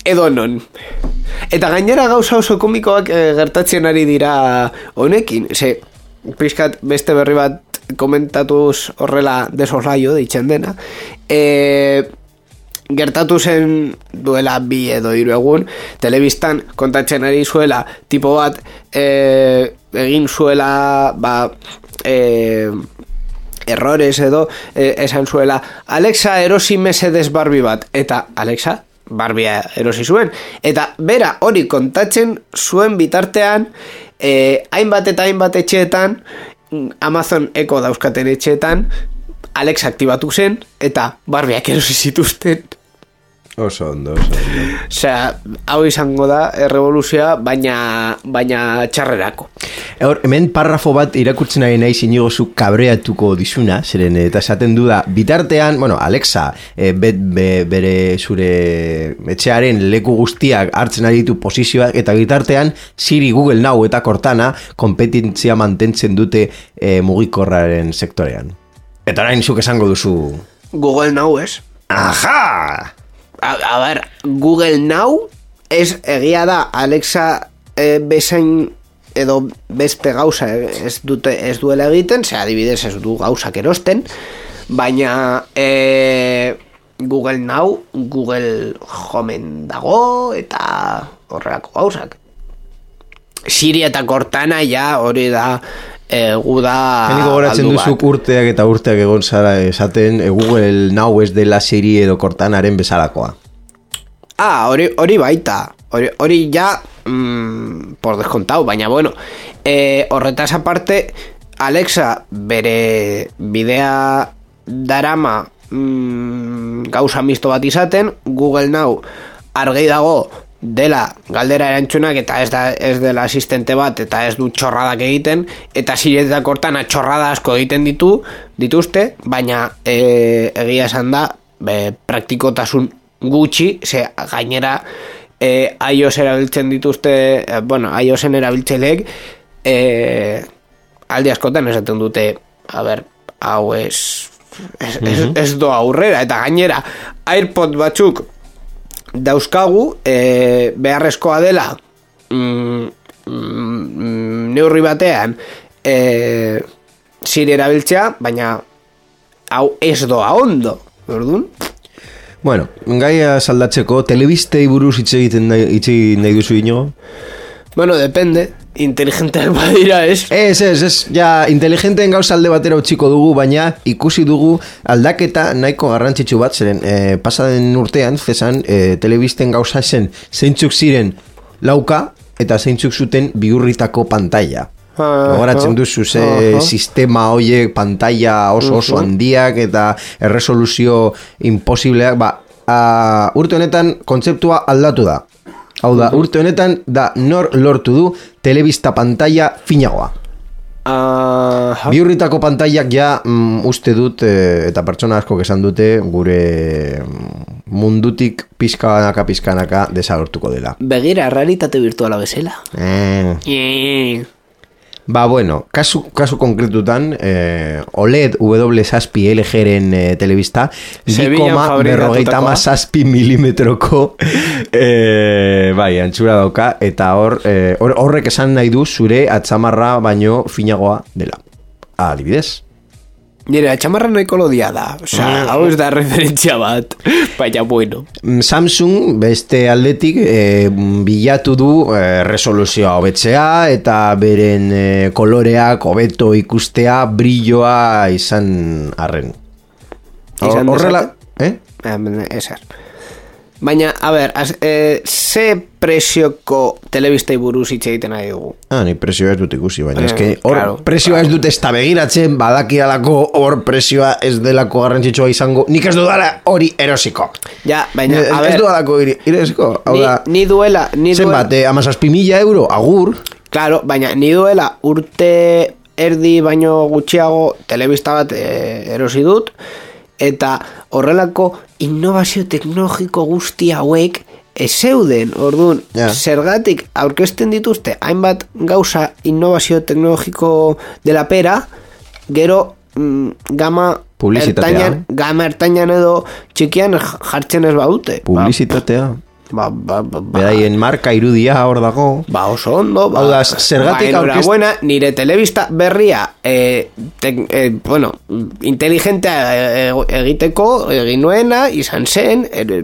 [SPEAKER 1] edo non. Eta gainera gauza oso komikoak e, gertatzen ari dira honekin. Ze, pizkat beste berri bat komentatuz horrela desoslaio deitzen dena. E, gertatu zen duela bi edo hiru egun, telebistan kontatzen ari zuela tipo bat e, egin zuela ba... E, errores edo e, esan zuela Alexa erosi mesedes Barbie bat, eta Alexa Barbia erosi zuen, eta bera hori kontatzen zuen bitartean eh, hainbat eta hainbat etxeetan Amazon Echo dauzkaten etxeetan Alexa aktibatu zen eta Barbiak erosi zituzten.
[SPEAKER 2] Oso ondo, oso ondo.
[SPEAKER 1] Osea, hau izango da errevoluzioa, baina, baina txarrerako.
[SPEAKER 2] Hor, hemen parrafo bat irakurtzen ari nahi zinigozu kabreatuko dizuna, zeren eta esaten du da, bitartean, bueno, Alexa, e, bet, be, bere zure etxearen leku guztiak hartzen ari ditu posizioak, eta bitartean Siri, Google Now eta Cortana kompetentzia mantentzen dute e, mugikorraren sektorean. Eta orain zuk esango duzu...
[SPEAKER 1] Google Now ez?
[SPEAKER 2] Aha!
[SPEAKER 1] A, a ver, Google Now ez egia da Alexa e, bezain edo beste gauza ez, dute, ez duela egiten, ze adibidez ez du gauzak erosten, baina e, Google Now Google Homeen dago eta horrelako gauzak. Siri eta Cortana ja hori da egu da
[SPEAKER 2] Heniko goratzen duzuk urteak eta urteak egon zara esaten e, Google Now ez dela Siri edo Cortanaren bezalakoa.
[SPEAKER 1] Ah, hori, hori baita hori, hori ja mm, por descontado, baina bueno e, horretaz aparte Alexa bere bidea darama mm, gauza misto bat izaten, Google Now argi dago dela galdera erantzunak eta ez, da, ez dela asistente bat eta ez du txorradak egiten eta ziretak hortan txorrada asko egiten ditu dituzte, baina e, egia esan da be, praktikotasun gutxi, ze gainera e, iOS erabiltzen dituzte, e, bueno, iOSen erabiltzeleek e, aldi askotan esaten dute, a ber, hau ez ez, uh-huh. ez, ez do aurrera, eta gainera AirPod batzuk dauzkagu e, beharrezkoa dela mm, mm, neurri batean e, Siri erabiltzea, baina hau ez doa ondo, orduan?
[SPEAKER 2] Bueno, gaia saldatzeko, telebistei buruz hitz egiten nahi, hitz egin nahi duzu ino?
[SPEAKER 1] Bueno, depende, inteligenteak badira, ez?
[SPEAKER 2] Ez, ez, ez, ja, inteligenteen gauza alde batera utziko dugu, baina ikusi dugu aldaketa nahiko garrantzitsu bat, zeren e, pasaden urtean, zezan, e, telebisten gauza zen zeintzuk ziren lauka, eta zeintzuk zuten bihurritako pantalla. Gogoratzen duzu ze uh-huh. sistema hoiek pantalla oso oso uh-huh. handiak eta erresoluzio imposibleak, ba, a, urte honetan kontzeptua aldatu da. Hau da, uh-huh. urte honetan da nor lortu du telebista pantalla finagoa. Uh-huh. Bihurritako pantaiak ja mm, uste dut e, eta pertsona asko esan dute gure mundutik pizkanaka pizkanaka desagertuko dela.
[SPEAKER 1] Begira, realitate virtuala bezala.
[SPEAKER 2] Eh.
[SPEAKER 1] Yeah.
[SPEAKER 2] Ba, bueno, kasu, kasu konkretutan, eh, O L E D W zazpi L G-ren eh, telebista, bi koma berrogeita zazpi milimetroko eh, bai, antxura dauka, eta hor, eh, hor, horrek esan nahi du zure atzamarra baino finagoa dela. Adibidez.
[SPEAKER 1] Nire, atxamarra noiko lodia da. Osa, mm. hau ez da referentzia bat. Baina, bueno.
[SPEAKER 2] Samsung, beste aldetik, e, bilatu du e, resoluzioa hobetzea eta beren e, koloreak hobeto ikustea, brilloa izan arren.
[SPEAKER 1] Izan
[SPEAKER 2] horrela, eh?
[SPEAKER 1] Ezer. Baina, a ber, az, e, ze presioko telebistei buruz hitz egiten nahi dugu?
[SPEAKER 2] Ah, ni presioa ez dut ikusi, baina
[SPEAKER 1] eh,
[SPEAKER 2] eske hor
[SPEAKER 1] claro,
[SPEAKER 2] presioa
[SPEAKER 1] claro.
[SPEAKER 2] ez dut ez da begiratzen, badakialako hor presioa ez delako garrantzitsua izango, nik ez dudala hori erosiko.
[SPEAKER 1] Ja, baina,
[SPEAKER 2] a
[SPEAKER 1] ber...
[SPEAKER 2] Ez dudalako erosiko, hau
[SPEAKER 1] ni,
[SPEAKER 2] da...
[SPEAKER 1] Ni duela... Ni
[SPEAKER 2] zenbat, duela... amazazpi mila euro, agur...
[SPEAKER 1] Claro, baina, ni duela urte erdi baino gutxiago telebista bat e, erosi dut, eta horrelako innovazio teknologiko guzti hauek ez zeuden, orduan, yeah. zergatik aurkezten dituzte hainbat gauza innovazio teknologiko dela pera, gero mm, gama ertainan, gama ertainan edo txikian jartzen ez badute.
[SPEAKER 2] Publizitatea.
[SPEAKER 1] Ba, ba, ba, ba.
[SPEAKER 2] Beraien marka irudia hor dago.
[SPEAKER 1] Ba, oso ondo. Ba,
[SPEAKER 2] hau da, zergatik
[SPEAKER 1] ba, enhorabuena, nire telebista berria eh, te, eh, bueno, inteligentea egiteko egin nuena, izan zen el,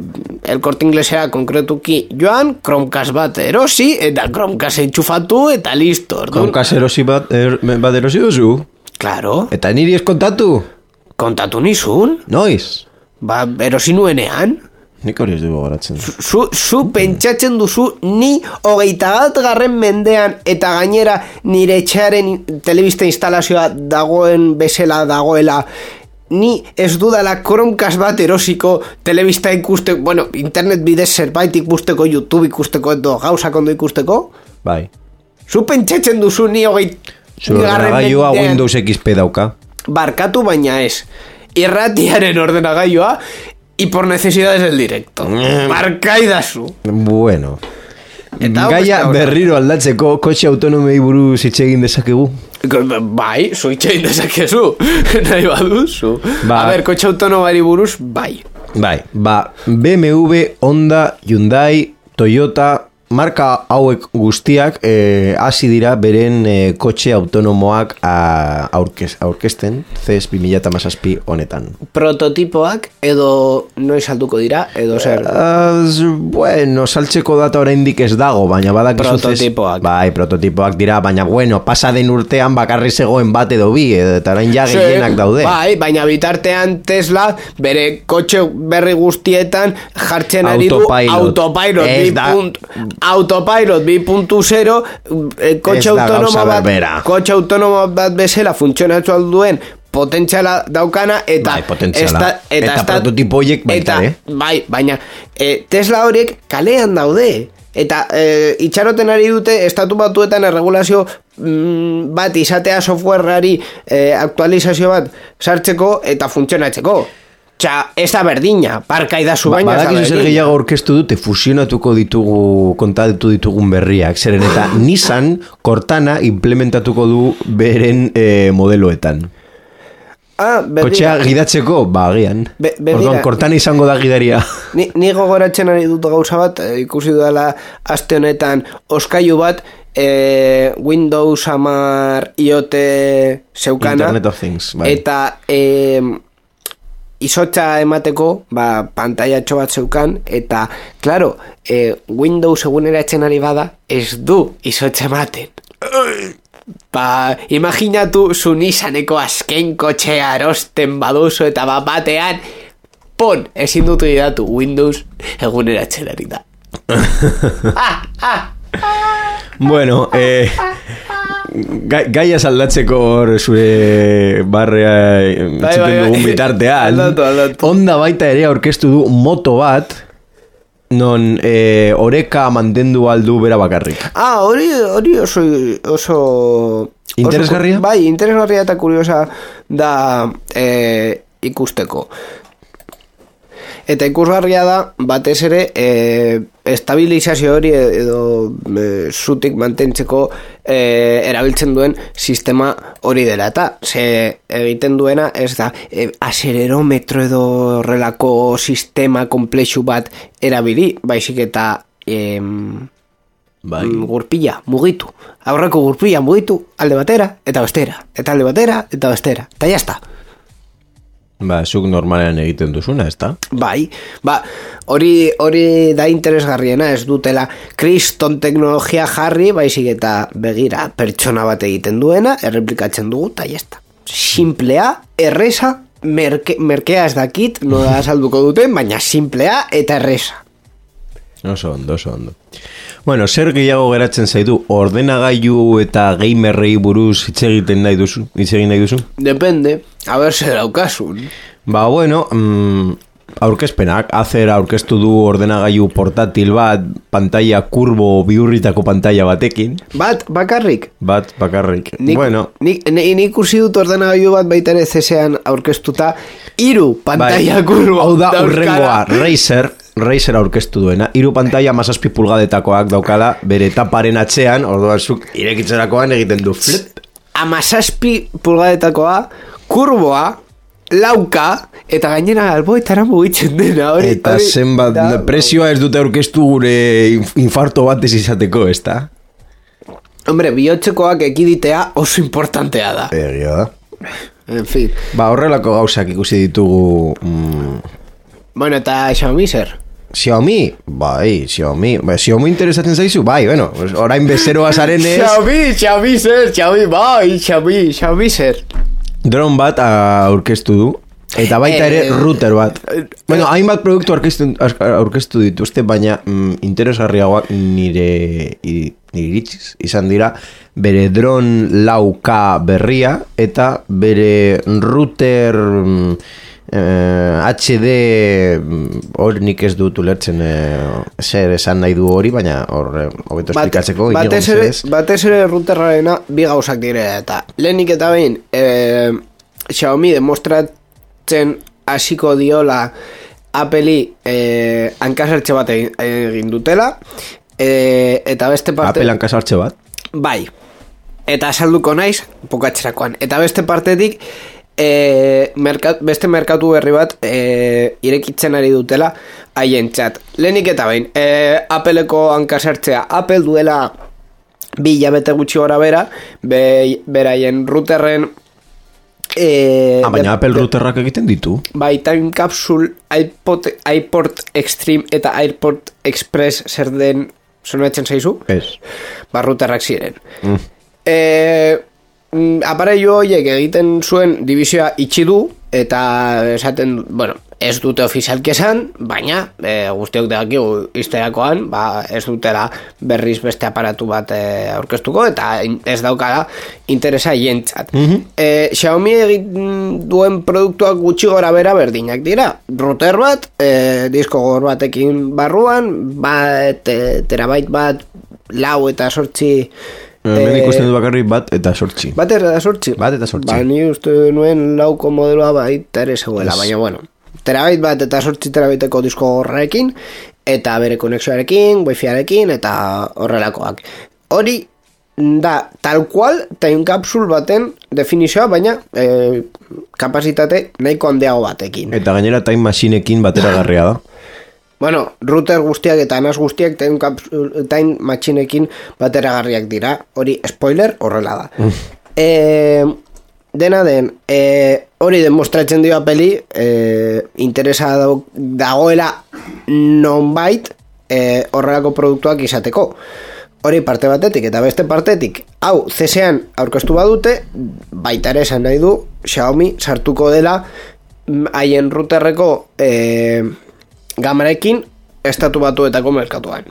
[SPEAKER 1] el Corte Inglesera konkretuki joan, Chromecast bat erosi eta Chromecast entxufatu eta listo.
[SPEAKER 2] Chromecast erosi bat, er, bat erosi duzu?
[SPEAKER 1] Claro.
[SPEAKER 2] Eta niri ez kontatu?
[SPEAKER 1] Kontatu nizun?
[SPEAKER 2] Noiz?
[SPEAKER 1] Ba, erosi nuenean.
[SPEAKER 2] Nik hori ez dugu goratzen.
[SPEAKER 1] Zu, zu pentsatzen duzu ni hogeita bat garren mendean eta gainera nire etxearen telebista instalazioa dagoen bezala dagoela, ni ez dudala Chromecast bat erosiko telebista ikuste, bueno, internet bidez zerbait ikusteko, YouTube ikusteko edo gauzak ondo ikusteko?
[SPEAKER 2] Bai.
[SPEAKER 1] Zu pentsatzen duzu ni hogeit
[SPEAKER 2] Zu ordenagailua Windows X P dauka.
[SPEAKER 1] Barkatu baina ez. Irratiaren ordenagailua y por necesidades del directo. Markaidazu.
[SPEAKER 2] Bueno. Gaia berriro aldatzeko kotxe autonomei buruz hitz egin dezakegu.
[SPEAKER 1] Bai, zu hitz egin dezakezu. Nahi baduzu. Ba, a ber, kotxe autonomari buruz, bai.
[SPEAKER 2] Bai, ba, B M W, Honda, Hyundai, Toyota, marka hauek guztiak eh, hasi dira beren eh, kotxe autonomoak a, aurkez, aurkezten C E S bi mila hamazazpi honetan.
[SPEAKER 1] Prototipoak edo noiz salduko dira edo zer?
[SPEAKER 2] Uh, bueno, saltzeko data oraindik ez dago, baina badakizu
[SPEAKER 1] prototipoak.
[SPEAKER 2] Bai, prototipoak dira, baina bueno, pasa den urtean bakarri zegoen bat edo bi, eta orain ja gehienak daude.
[SPEAKER 1] Bai, baina bitartean Tesla bere kotxe berri guztietan jartzen ari du autopilot bi punt autopilot bi puntu zero eh, kotxe autonomo bat kotxe autonomo bat bezala funtzionatu alduen potentziala daukana eta
[SPEAKER 2] bai, potentziala.
[SPEAKER 1] Esta, eta,
[SPEAKER 2] eta prototipo horiek baita,
[SPEAKER 1] eta,
[SPEAKER 2] eh?
[SPEAKER 1] Bai, baina eh, Tesla horiek kalean daude Eta e, itxaroten ari dute estatu batuetan erregulazio mm, bat izatea softwareari e, aktualizazio bat sartzeko eta funtzionatzeko. Txa, ez da berdina, parka idazu baina
[SPEAKER 2] ba, badakizu zer gehiago orkestu dute fusionatuko ditugu, kontatu ditugun berriak, zeren eta Nissan Cortana implementatuko du beren e, modeloetan.
[SPEAKER 1] Ah,
[SPEAKER 2] kotxea gidatzeko, ba, agian.
[SPEAKER 1] Be,
[SPEAKER 2] Orduan, Cortana izango da gidaria.
[SPEAKER 1] Ni, ni gogoratzen ari dut gauza bat, eh, ikusi dudala aste honetan oskailu bat, eh, Windows hamar IoT zeukana.
[SPEAKER 2] Internet of Things, bai.
[SPEAKER 1] Eta eh, izotza emateko, ba, pantaiatxo bat zeukan, eta, claro, eh, Windows eguneratzen ari bada, ez du izotza ematen. Ba, imaginatu zu Nissaneko azken kotxea erosten baduzu eta bat batean, pon, ezin dutu idatu Windows eguneratzen ari da. ah, ah.
[SPEAKER 2] Bueno, eh, gai, gaia saldatzeko hor zure barrea entzuten dugun bitartean. Honda baita ere aurkeztu du moto bat, non eh, oreka mantendu aldu bera bakarrik.
[SPEAKER 1] Ah, hori, hori oso, oso...
[SPEAKER 2] Interesgarria?
[SPEAKER 1] Oso, bai, interesgarria eta kuriosa da eh, ikusteko. Eta ikusgarria da, batez ere, e, estabilizazio hori edo e, zutik mantentzeko e, erabiltzen duen sistema hori dela. Eta ze egiten duena ez da e, aselerometro edo horrelako sistema komplexu bat erabili, baizik eta e, bai. Gurpila mugitu. Aurreko gurpila mugitu alde batera eta bestera. Eta alde batera eta bestera. Eta jazta.
[SPEAKER 2] Ba, zuk normalean egiten duzuna, ez da?
[SPEAKER 1] Bai, ba, hori, hori da interesgarriena, ez dutela kriston teknologia jarri, baizik eta begira pertsona bat egiten duena, erreplikatzen dugu, eta jazta. Simplea, erresa, merke, merkea ez dakit, no da salduko duten, baina simplea eta erresa.
[SPEAKER 2] Oso ondo, oso ondo. Bueno, zer gehiago geratzen zaitu, ordenagailu eta gamerrei buruz hitz egiten nahi duzu? Hitz egin nahi duzu?
[SPEAKER 1] Depende, a ber zer daukasun.
[SPEAKER 2] Ba, bueno, mm, aurkezpenak, Acer aurkeztu du ordenagailu portatil bat, pantalla kurbo bihurritako pantalla batekin.
[SPEAKER 1] Bat, bakarrik?
[SPEAKER 2] Bat, bakarrik.
[SPEAKER 1] Nik,
[SPEAKER 2] bueno.
[SPEAKER 1] Nik, nik ikusi dut ordenagailu bat baita ere zesean aurkeztuta, hiru pantalla bai, kurbo.
[SPEAKER 2] Hau da, urrengoa, Razer, Razer aurkeztu duena, hiru pantalla mazazpi pulgadetakoak daukala, bere taparen atzean, orduan zuk irekitzerakoan egiten du flip.
[SPEAKER 1] Amazazpi pulgadetakoa, kurboa, lauka, eta gainera alboetara mugitzen dena. Hori,
[SPEAKER 2] eta
[SPEAKER 1] hori,
[SPEAKER 2] zenbat,
[SPEAKER 1] da,
[SPEAKER 2] presioa ez dute aurkeztu gure infarto bat ez izateko, ez da?
[SPEAKER 1] Hombre, bihotzekoak ekiditea oso importantea da.
[SPEAKER 2] Egia da.
[SPEAKER 1] En fin.
[SPEAKER 2] Ba, horrelako gauzak ikusi ditugu... Mm,
[SPEAKER 1] bueno, eta Xiaomi zer?
[SPEAKER 2] Xiaomi, bai, Xiaomi, bai, Xiaomi interesatzen zaizu, bai, bueno, orain bezeroa zarenez...
[SPEAKER 1] Xiaomi, Xiaomi zer, Xiaomi, bai, Xiaomi, Xiaomi zer.
[SPEAKER 2] Dron bat aurkeztu du, eta baita ere router bat. Bueno, hainbat produktu aurkeztu dituzte, baina mm, interesgarriagoak nire, nire iritziz izan dira, bere dron lau K berria, eta bere router... Mm, Eh, H D hori nik ez dut ulertzen eh, zer esan nahi du hori, baina hor hobeto esplikatzeko
[SPEAKER 1] batez ere, batez ere routerrarena bi gauzak dire, eta lehenik eta behin eh, Xiaomi demostratzen hasiko diola Apple'i eh, hankasartxe bat egin dutela, eh, eta beste parte
[SPEAKER 2] Apple hankasartxe bat?
[SPEAKER 1] Bai, eta salduko naiz pokatzerakoan, eta beste partetik E, merkat, beste merkatu berri bat e, irekitzen ari dutela haien txat. Lehenik eta behin e, Appleko hankasartzea. Apple duela bi hilabete gutxi gora bera be, beraien routerren e,
[SPEAKER 2] ah, baina de, Apple de, routerrak egiten ditu.
[SPEAKER 1] Bai, Time Capsule, iPod, iPort Extreme eta iPort Express zer den sonatzen zaizu?
[SPEAKER 2] Ez.
[SPEAKER 1] Ba, routerrak ziren.
[SPEAKER 2] Mm.
[SPEAKER 1] E, mm, aparailu horiek egiten zuen divisioa itxi du, eta esaten, bueno, ez dute ofizialki esan, baina e, guztiok dakigu izterakoan, ba, ez dutela berriz beste aparatu bat e, aurkeztuko, eta ez daukala interesa jentzat. Mm-hmm. e, Xiaomi egin duen produktuak gutxi gora bera berdinak dira. Router bat, e, disko gogor batekin barruan, bat, e, terabait bat, lau eta sortzi...
[SPEAKER 2] Hemen ikusten du bakarri bat eta sortzi.
[SPEAKER 1] Bat eta sortzi?
[SPEAKER 2] Bat eta sortzi.
[SPEAKER 1] Ba, ni uste nuen lauko modeloa baita ere zegoela, yes. Baina bueno. Terabait bat eta sortzi terabaiteko disko gorrekin, eta bere konexioarekin, wifiarekin, eta horrelakoak. Hori da, tal cual, time capsule baten definizioa, baina e, kapasitate nahiko handiago batekin.
[SPEAKER 2] Eta gainera time machineekin bateragarria da.
[SPEAKER 1] Bueno, router guztiak eta NAS guztiak time, capsule, time machineekin bateragarriak dira. Hori, spoiler, horrela da. Mm. E, dena den, e, hori demostratzen dio peli, e, interesa dagoela nonbait e, horrelako produktuak izateko. Hori parte batetik eta beste partetik, hau C S an aurkeztu badute, baita ere esan nahi du Xiaomi sartuko dela haien routerreko e, gamarekin estatu batuetako merkatuan.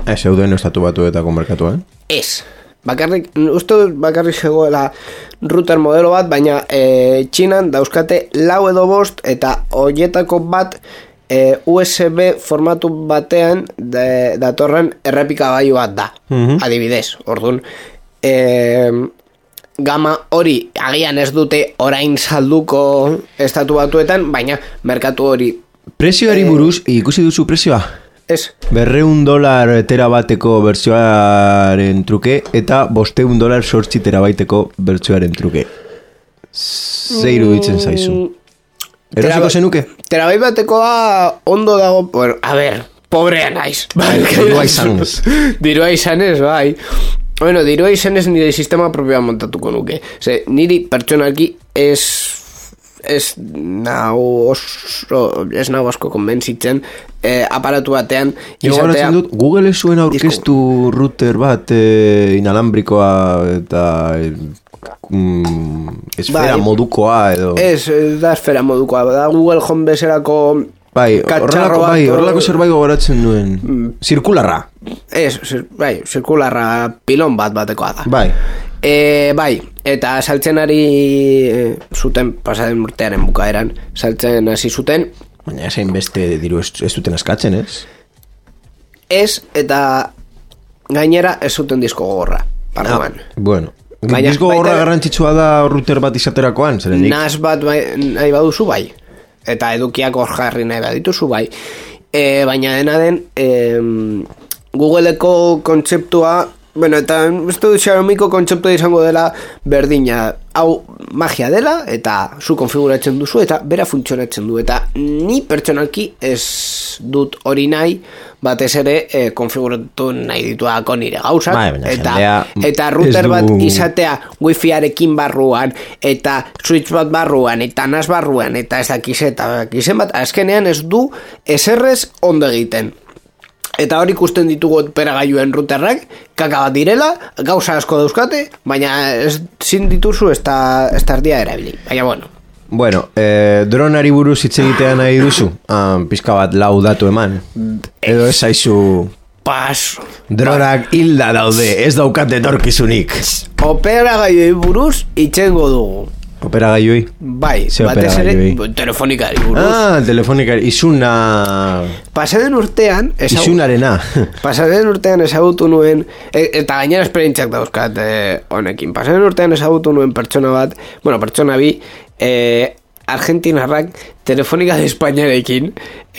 [SPEAKER 2] Ez zeuden estatu batuetako merkatuan?
[SPEAKER 1] Ez. Bakarrik, uste dut bakarrik zegoela router modelo bat, baina e, Txinan dauzkate lau edo bost eta horietako bat e, U S B formatu batean de, datorren errepikagailu bat da. Mm-hmm. Adibidez, orduan e, gama hori agian ez dute orain salduko estatu batuetan, baina merkatu hori
[SPEAKER 2] prezioari buruz, eh, ikusi duzu prezioa?
[SPEAKER 1] Ez.
[SPEAKER 2] Berreun dolar terabateko bertsioaren truke eta bosteun dolar sortzi terabaiteko bertsioaren truke. Zeiru ditzen zaizu. Erosiko zenuke?
[SPEAKER 1] Terabait batekoa ondo dago, bueno, a ver, pobrea naiz.
[SPEAKER 2] Dirua izanez.
[SPEAKER 1] Dirua izanez, bai. Bueno, dirua izanez nire sistema propioa montatuko nuke. Ze, niri pertsonalki ez... ez nau oso ez nau asko konbentzitzen eh, aparatu batean
[SPEAKER 2] izatea dut, Google ez zuen aurkeztu disko... router bat eh, inalambrikoa eta eh, mm, esfera bai, modukoa edo
[SPEAKER 1] ez, da esfera modukoa da Google Home bezerako
[SPEAKER 2] bai, horrelako, bai, horrelako zerbait gogoratzen duen mm. Zirkularra
[SPEAKER 1] ez, bai, zirkularra pilon bat batekoa da
[SPEAKER 2] bai
[SPEAKER 1] E, bai, eta saltzen ari e, zuten, pasaden urtearen bukaeran, saltzen hasi zuten.
[SPEAKER 2] Baina esain beste diru ez, ez duten askatzen, ez?
[SPEAKER 1] Ez, eta gainera ez zuten disko gogorra, barruan.
[SPEAKER 2] Ah, bueno, baina, disko gogorra baita, garrantzitsua da router bat izaterakoan, zerenik?
[SPEAKER 1] Nas bat bai, nahi baduzu bai, eta edukiak hor jarri nahi badituzu bai. E, baina dena den, e, Googleeko kontzeptua, bueno, eta ez du Xiaomiko kontzeptua izango dela berdina, hau magia dela eta zu konfiguratzen duzu eta bera funtzionatzen du eta ni pertsonalki ez dut hori nahi batez ere eh, konfiguratu nahi dituako nire gauzak bai, eta, eta router du... bat izatea wifiarekin barruan eta switch bat barruan eta nas barruan eta ez dakiz eta dakizen bat azkenean ez du eserrez ondo egiten. Eta hori ikusten ditugu operagailuen routerrak, kaka bat direla, gauza asko dauzkate, baina ez zin dituzu ez tardia erabili. Baina bueno.
[SPEAKER 2] Bueno, eh, dronari buruz hitz egitea nahi duzu? Ah, pizka bat lau datu eman. Edo ez zaizu...
[SPEAKER 1] Paso.
[SPEAKER 2] Dronak hilda daude, ez daukate etorkizunik.
[SPEAKER 1] Operagailuei buruz itxengo dugu.
[SPEAKER 2] Operagailuei?
[SPEAKER 1] Bai, batez ere telefonikari buruz.
[SPEAKER 2] Ah, telefonikari, izuna...
[SPEAKER 1] Pasaden urtean...
[SPEAKER 2] Ezagut... Izunarena.
[SPEAKER 1] Pasaden urtean ezagutu nuen... E, eta gainera esperientziak dauzkat e, honekin. Pasaden urtean ezagutu nuen pertsona bat... Bueno, pertsona bi... E, Argentinarrak Telefonika de Espainiarekin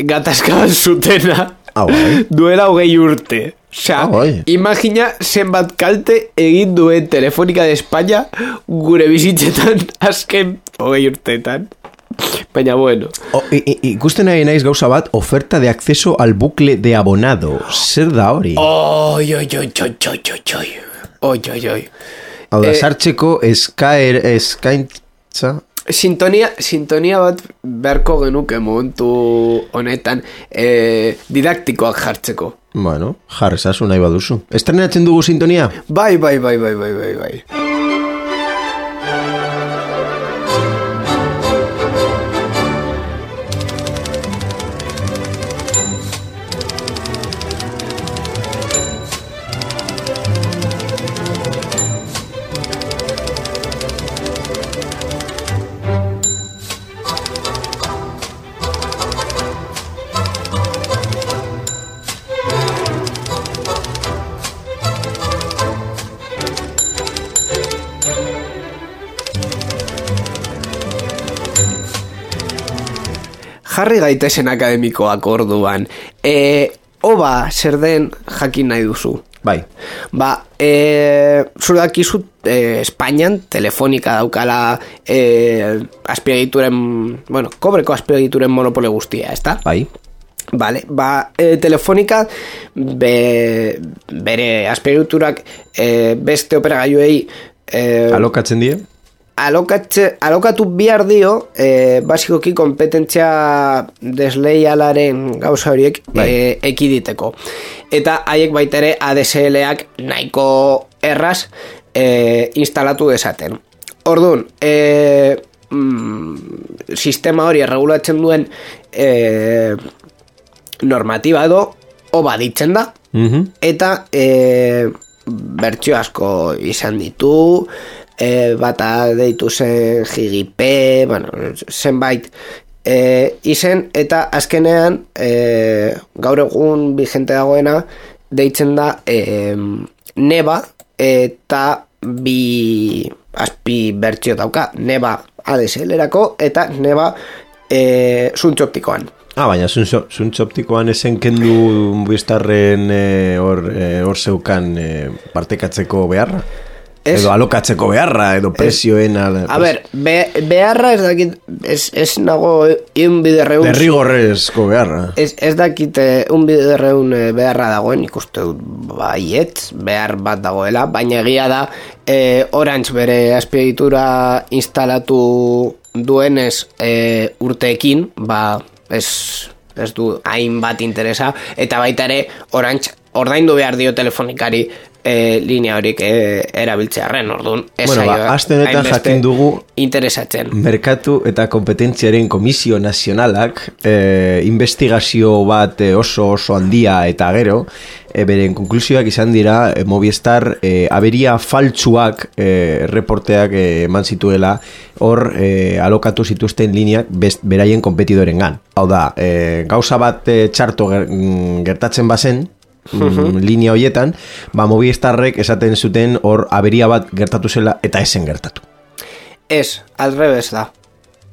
[SPEAKER 1] gatazkaban zutena...
[SPEAKER 2] Ah, bai.
[SPEAKER 1] Duela hogei urte. Osea, oh, imagina zenbat kalte egin duen Telefonika de España gure bizitzetan azken hogei urteetan. Baina bueno.
[SPEAKER 2] O, ikusten nahi naiz gauza bat, oferta de acceso al bucle de abonado. Zer da hori?
[SPEAKER 1] Oi, oi, oi, oi, oi, oi, oi, oi, oi.
[SPEAKER 2] Hau da, sartzeko eskaer, eskaintza...
[SPEAKER 1] Sintonia, sintonia bat berko genuke momentu honetan eh, didaktikoak jartzeko.
[SPEAKER 2] Bueno, jarrezazu nahi baduzu. Estrenatzen dugu sintonia?
[SPEAKER 1] Bai, bai, bai, bai, bai, bai, bai. jarri gaitezen akademikoak orduan. E, oba, zer den jakin nahi duzu.
[SPEAKER 2] Bai.
[SPEAKER 1] Ba, e, zure dakizu e, Espainian telefonika daukala e, azpiegituren, bueno, kobreko azpiegituren monopole guztia, ezta?
[SPEAKER 2] Bai.
[SPEAKER 1] Vale, ba, e, telefonika be, bere azpiegiturak e, beste operagailuei e,
[SPEAKER 2] alokatzen die?
[SPEAKER 1] Alokatze, alokatu bihar dio e, basikoki kompetentzia desleialaren gauza horiek
[SPEAKER 2] bai.
[SPEAKER 1] e, ekiditeko. Eta haiek baita ere A D S L-ak nahiko erraz e, instalatu dezaten. Orduan, e, mm, sistema hori erregulatzen duen e, normatiba edo oba ditzen da,
[SPEAKER 2] uh-huh.
[SPEAKER 1] eta e, bertsio asko izan ditu, e, bata deitu zen Gigipe, bueno, zenbait e, izen, eta azkenean e, gaur egun vigente dagoena deitzen da e, neba, eta bi azpi bertsio dauka, neba A D S L-erako eta neba e, zuntz optikoan.
[SPEAKER 2] Ah, baina zuntz optikoan esen kendu biztarren hor e, e, zeukan e, partekatzeko beharra? Es, edo alokatzeko beharra, edo presioen...
[SPEAKER 1] A, a ber, be, beharra ez dakit, ez, ez nago un biderreun...
[SPEAKER 2] Derrigorrezko beharra.
[SPEAKER 1] Ez, ez dakit un biderreun beharra dagoen, ikuste dut baiet, behar bat dagoela, baina egia da, e, Orange bere azpiegitura instalatu duenez e, urteekin, ba, ez, ez du hainbat interesa, eta baita ere Orange ordaindu behar dio telefonikari E, linea horik e, erabiltzearen, orduan ez
[SPEAKER 2] bueno, ba, astenetan jakin dugu
[SPEAKER 1] interesatzen.
[SPEAKER 2] Merkatu eta kompetentziaren komisio nazionalak e, investigazio bat oso oso handia eta gero e, beren konklusioak izan dira e, Movistar e, aberia faltsuak e, reporteak e, eman zituela hor e, alokatu zituzten lineak best, beraien kompetidorengan. Hau da, e, gauza bat e, txarto ger, gertatzen bazen Mm, linea hoietan, ba Movistarrek esaten zuten hor aberia bat gertatu zela eta esen gertatu.
[SPEAKER 1] Ez, aldrebes da.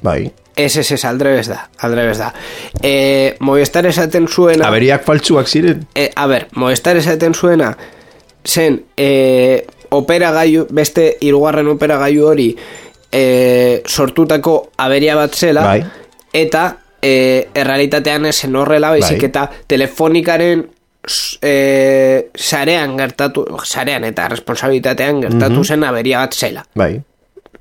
[SPEAKER 2] Bai.
[SPEAKER 1] Ez, ez, ez, aldrebes da, aldrebes da. E, Movistar esaten zuena...
[SPEAKER 2] Aberiak faltsuak ziren?
[SPEAKER 1] E, a ber, Movistar esaten zuena zen e, operagailu, beste hirugarren operagailu hori e, sortutako aberia bat zela,
[SPEAKER 2] bai.
[SPEAKER 1] Eta e, errealitatean esen horrela, baizik
[SPEAKER 2] bai.
[SPEAKER 1] Eta telefonikaren E, sarean gertatu sarean eta responsabilitatean gertatu mm-hmm. zen aberia bat zela.
[SPEAKER 2] Bai.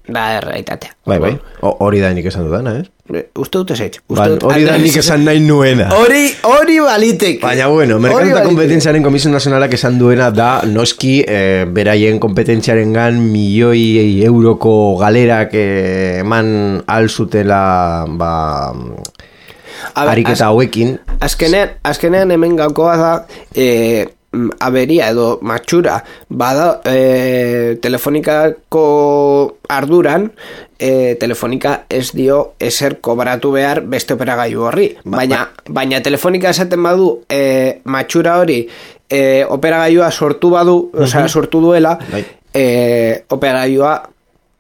[SPEAKER 1] Da errealitatea.
[SPEAKER 2] Bai, bai. Hori da nik esan dudana, eh?
[SPEAKER 1] Uste dute zeitz.
[SPEAKER 2] Hori da nik esan nahi nuena.
[SPEAKER 1] Hori hori balitek.
[SPEAKER 2] Baina bueno, merkatu eta kompetentziaren komisio nazionalak esan duena da noski eh, beraien kompetentziaren gan milioi euroko galerak eh, eman alzutela ba... Ber, ariketa hauekin.
[SPEAKER 1] Azkenean, azkenean hemen gakoa da e, aberia edo matxura bada e, telefonikako arduran e, telefonika ez dio ezer kobratu behar beste operagailu horri. Ba, baina, ba. baina telefonika esaten badu e, matxura hori e, operagailua sortu badu, uh-huh. osea sortu duela bai. e, operagailua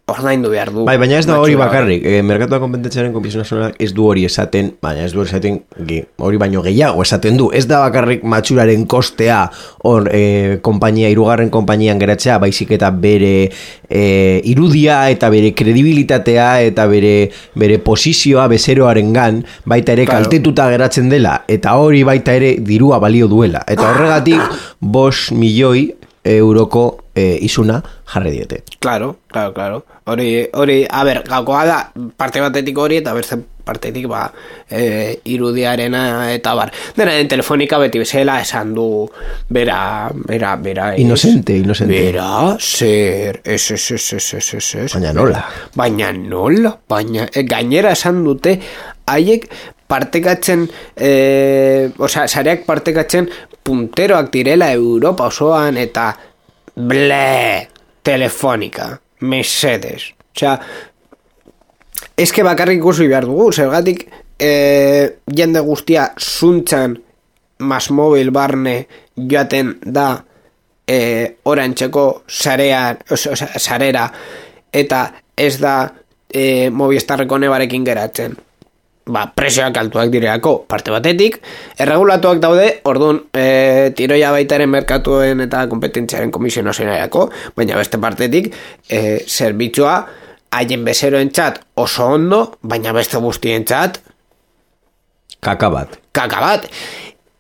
[SPEAKER 1] ordaindu behar du.
[SPEAKER 2] Bai, baina ez da hori bakarrik. E, Merkatua kompetentziaren komisio nazionalak ez du hori esaten, baina ez du hori esaten hori baino gehiago esaten du. Ez da bakarrik matxuraren kostea hor e, kompainia, hirugarren konpainian geratzea, baizik eta bere e, irudia eta bere kredibilitatea eta bere bere posizioa bezeroarengan baita ere claro. Kaltetuta geratzen dela eta hori baita ere dirua balio duela. Eta horregatik bost milioi euroko e, izuna jarri diete.
[SPEAKER 1] Claro, claro, claro. Hori, hori, a ber, gakoa da parte batetik hori eta bertzen partetik ba e, irudiarena eta bar. Dena den telefonika beti bezala esan du bera, bera, bera es,
[SPEAKER 2] Inocente, inocente.
[SPEAKER 1] Bera, zer, ez, ez, ez, ez, ez, ez, ez.
[SPEAKER 2] Baina nola.
[SPEAKER 1] Baina nola, baina e, gainera esan dute haiek partekatzen eh, osea, sareak partekatzen punteroak direla Europa osoan eta ble, telefonika mesedes, osea eske bakarrik ikusi behar dugu, zergatik eh, jende guztia zuntzan Masmobil barne joaten da eh, Orantxeko sarean, osea, sarera eta ez da eh, Movistarreko nebarekin geratzen. ba, presioak altuak direlako parte batetik, erregulatuak daude, orduan e, tiroia baitaren merkatuen eta kompetentziaren komisio nazionalako, baina beste partetik e, zerbitzua haien bezeroentzat oso ondo, baina beste guztientzat
[SPEAKER 2] kaka bat.
[SPEAKER 1] Kaka bat.